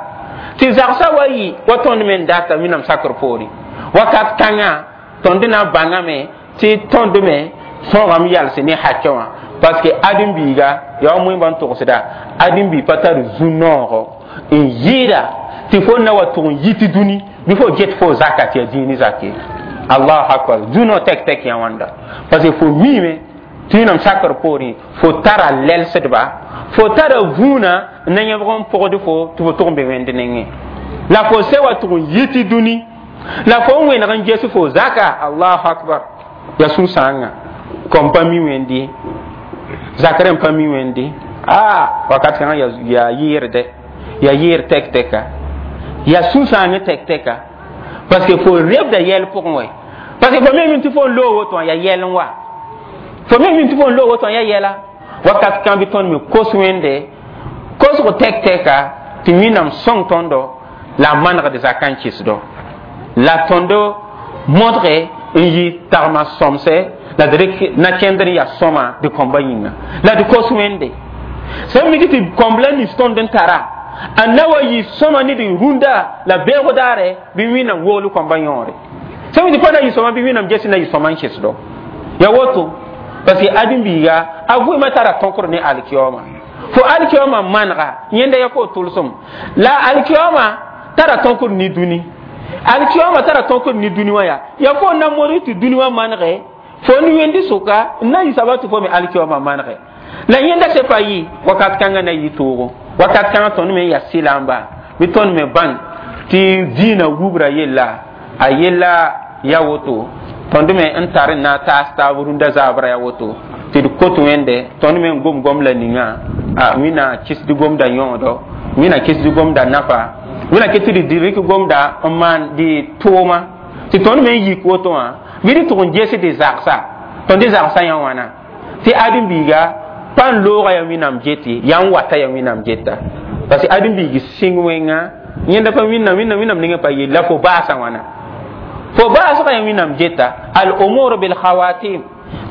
tɩ zagsã wa yɩ wa tõnd me n data Wẽnnaam sakr poorẽ. Wakat kãngã tõnd na bãngame tɩ tõnd me tõogame yals ne hakɛ wã, parce que ãdem-biiga yaa wa moẽmba n togsda, ãdem-biig pa tar zu-noogo n yɩɩda tɩ fo na wa tʋg n yit dũni bɩ fo get fo zaka tɩ yaa dĩini zak ye. Allahu akbar, zu-noog tɛk tɛk yã wãnda, parce que fo miime tɩ Wẽnnaam sakr poorẽ fo tara lɛlsdba, fo tara vũunã n na yẽbg n pʋgd fo tɩ fo tʋg n be wẽnd nengẽ, la fo se wa tʋg n yit dũni la fo n wẽneg n ges fo zaka. Allahu akbar, yaa sũ-sãangã kom pa mi wẽnd zakr n pa mi wẽnde a wakat kãngã yaa yɩɩrdɛ, yaa yɩɩr tɛk tɛka, yaa sũ-sãang tɛk tɛka, parce que fo rebda yɛl pʋgẽ wɛ, parce que fo me mi tɩ fo n loog woto wã yaa yɛl n wa, fo me mi tɩ fo n loog woto wã yaa yɛla. Wakat kã bɩ tõnd me kos Wẽnde kosg tɛk tɛka tɩ Wẽnnaam sõng tõndo la a manegd zakã n kɩsdo, la tõndo modge n yɩ tagma sõmsɛ la d rɩk na kẽndr n yaa sõma d kõmba yĩnga la d kos Wẽnde sẽn mik tɩ kõmb la nins tõnd n tara a na wa yɩ sõma ne d rũndã la beoog daare bɩ Wẽnnaam wogl kõmba yõore sẽn mi tɩ pa na yɩ sõma bɩ Wẽnnaam ges na yɩ sõma n kesdo ya woto, parce que ãdem-biiga a vɩɩmã tara tõkr ne alkiyaooma, fo alkiyaooma manega yẽnda ya fo tʋlsem la alkiyaooma tara tõkr ne dũni, alkiyaooma tara tõkr ne dũni wã, yaa ya fo na modg tɩ dũni wã manege fo n wẽndi sʋka n na yɩ saba tɩ fo me alkiyaooma manege la yẽnda se pa yɩ wakat kãngã na yɩ toogo. Wakat kãngã tõnd me n yaa sɩlamba bɩ tõnd me bãng tɩ dĩinã wubra yella a yella ya woto, tõnd me n tar n na taas taab rũndã zaabra ya woto tɩ d kot Wẽnde tõnd me n gom gom la ninga a Wẽnna kɩsd gomda yõodo, Wẽnna kɩsd gomda nafa, Wẽnna kɩ tɩ d rɩk gomda n maan dɩ tʋʋma tɩ tõnd me n yik woto wã bɩ d tʋg n ges dɩ zagsa, tõnd dɩ zagsã yã wãna tɩ ãdem-biiga pa n looga ya Wẽnnaam get yaa n wata ya Wẽnnaam geta, parce que ãdem-biig sɩng wẽnga yẽnda pa Wẽnnaam, Wẽnnaam Wẽnnaam nengẽ pa yell la fo baasã wãna fo baasgã ya Wẽnnaam geta. Al umur bil khawatim,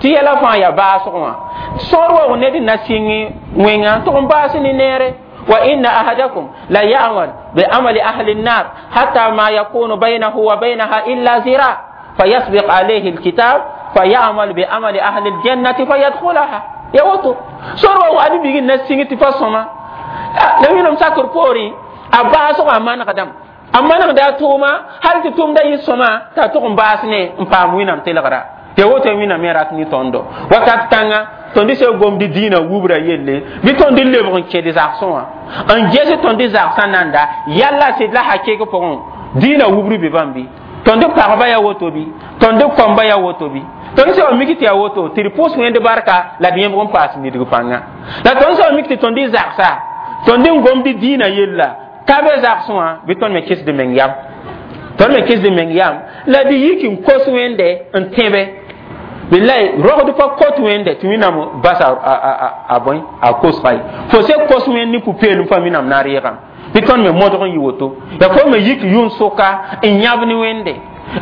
tɩ yɛla fãa yaa baasg wã sõor wa ned n na sɩng wẽnga tʋg n baas ne neere. وإن أحدكم لا يعمل بعمل أهل النار حتى ما يكون بينه وبينها إلا ذراع فيسبق عليه الكتاب فيعمل بعمل أهل الجنة فيدخلها. Ya woto sor wa adi bigi na singi ti fasoma la Wẽnnaam sakr poorẽ a baasg a manegdame a manegda a tʋʋma hal tɩ tʋʋmda yɩ sõma t'a tʋg n baas ne n paam Wẽnnaam telgra. Ya woto Wẽnnaam me rat ne tõndo wakat kãnga tõnd sã gomd dĩinã wubra yelle bɩ tõnd lebg n kẽd zagsẽ wã n ges tõnd zagsã nanda yalla sɩd la hakɩg pʋgẽ dĩinã wubr be bãmb bɩ tõnd pagba ya woto bɩ tõnd kõmba ya woto bɩ tõnd sã wa mik tɩ yaa woto tɩ d pʋʋs Wẽnd barka la d yẽbg n paas nidg pãnga, la tõnd sã wa mik tɩ tõnd zagsa tõnd n gomd dĩinã yella ka be zagsẽ wã bɩ tõnd me kɩsd meng yam, tõnd me kɩsd meng yam la d yik n kos Wẽnde n tẽbe billahi rogd pa kot Wẽnde tɩ Wẽnnaam bas a bõe a kosga ye fo se kos Wẽnd ne pʋ-peelem fãa Wẽnnaam na reegame bɩ tõnd me modg n yɩ woto yaa fo me yik yʋn-sʋka n yãb ne Wẽnde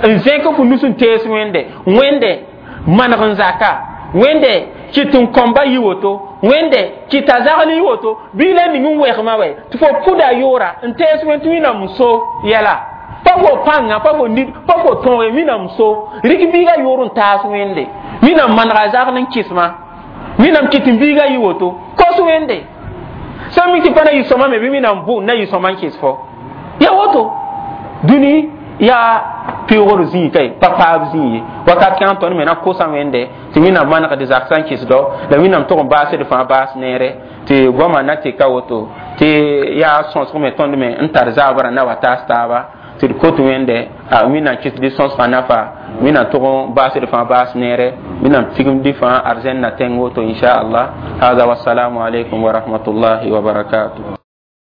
n zẽk fo nus n tees Wẽnde, Wẽnde maneg n zaka, Wẽnde kɩt n kõmba yɩ woto, Wẽnde kɩta zagl yɩ woto bɩ la ning n wɛgmã wɛ tɩ fo pʋda yʋʋra n tees Wẽnd tɩ Wẽnnaam so yɛla pa fo pãnga pa fo nid pa fo tõoge Wẽnnaam so rɩk biiga yʋʋr n taas Wẽnde Wẽnnaam manega zagl n kɩsma Wẽnnaam kɩt n biiga yɩ woto kos Wẽnde sã mi tɩ pa na yɩ sõma me bɩ Wẽnnaam bʋ na yɩ sõma n kɩs fo ya woto dũni yaa peoogr zĩig kae pa paab zĩig ye. Wakat kãng tõnd me na kosa Wẽnde tɩ Wẽnnaam manegd zagsã n kɩsdɔ la Wẽnnaam tʋg n baasd fãa baas neere tɩ goamã na tɩ ka woto tɩ yaa sõsg me tõnd me n tar zaabrã na wa taas taaba tɩ d kot Wẽnde a Wẽnnaam kɩsd sõsgã nafa, Wẽnnaam tʋg n baasd fãa baas neere, Wẽnnaam tigimd fãa arzɛn na tẽng woto, inchallah. Hada, wassalamu alaikum wa rahmatullahi wa barakatuh.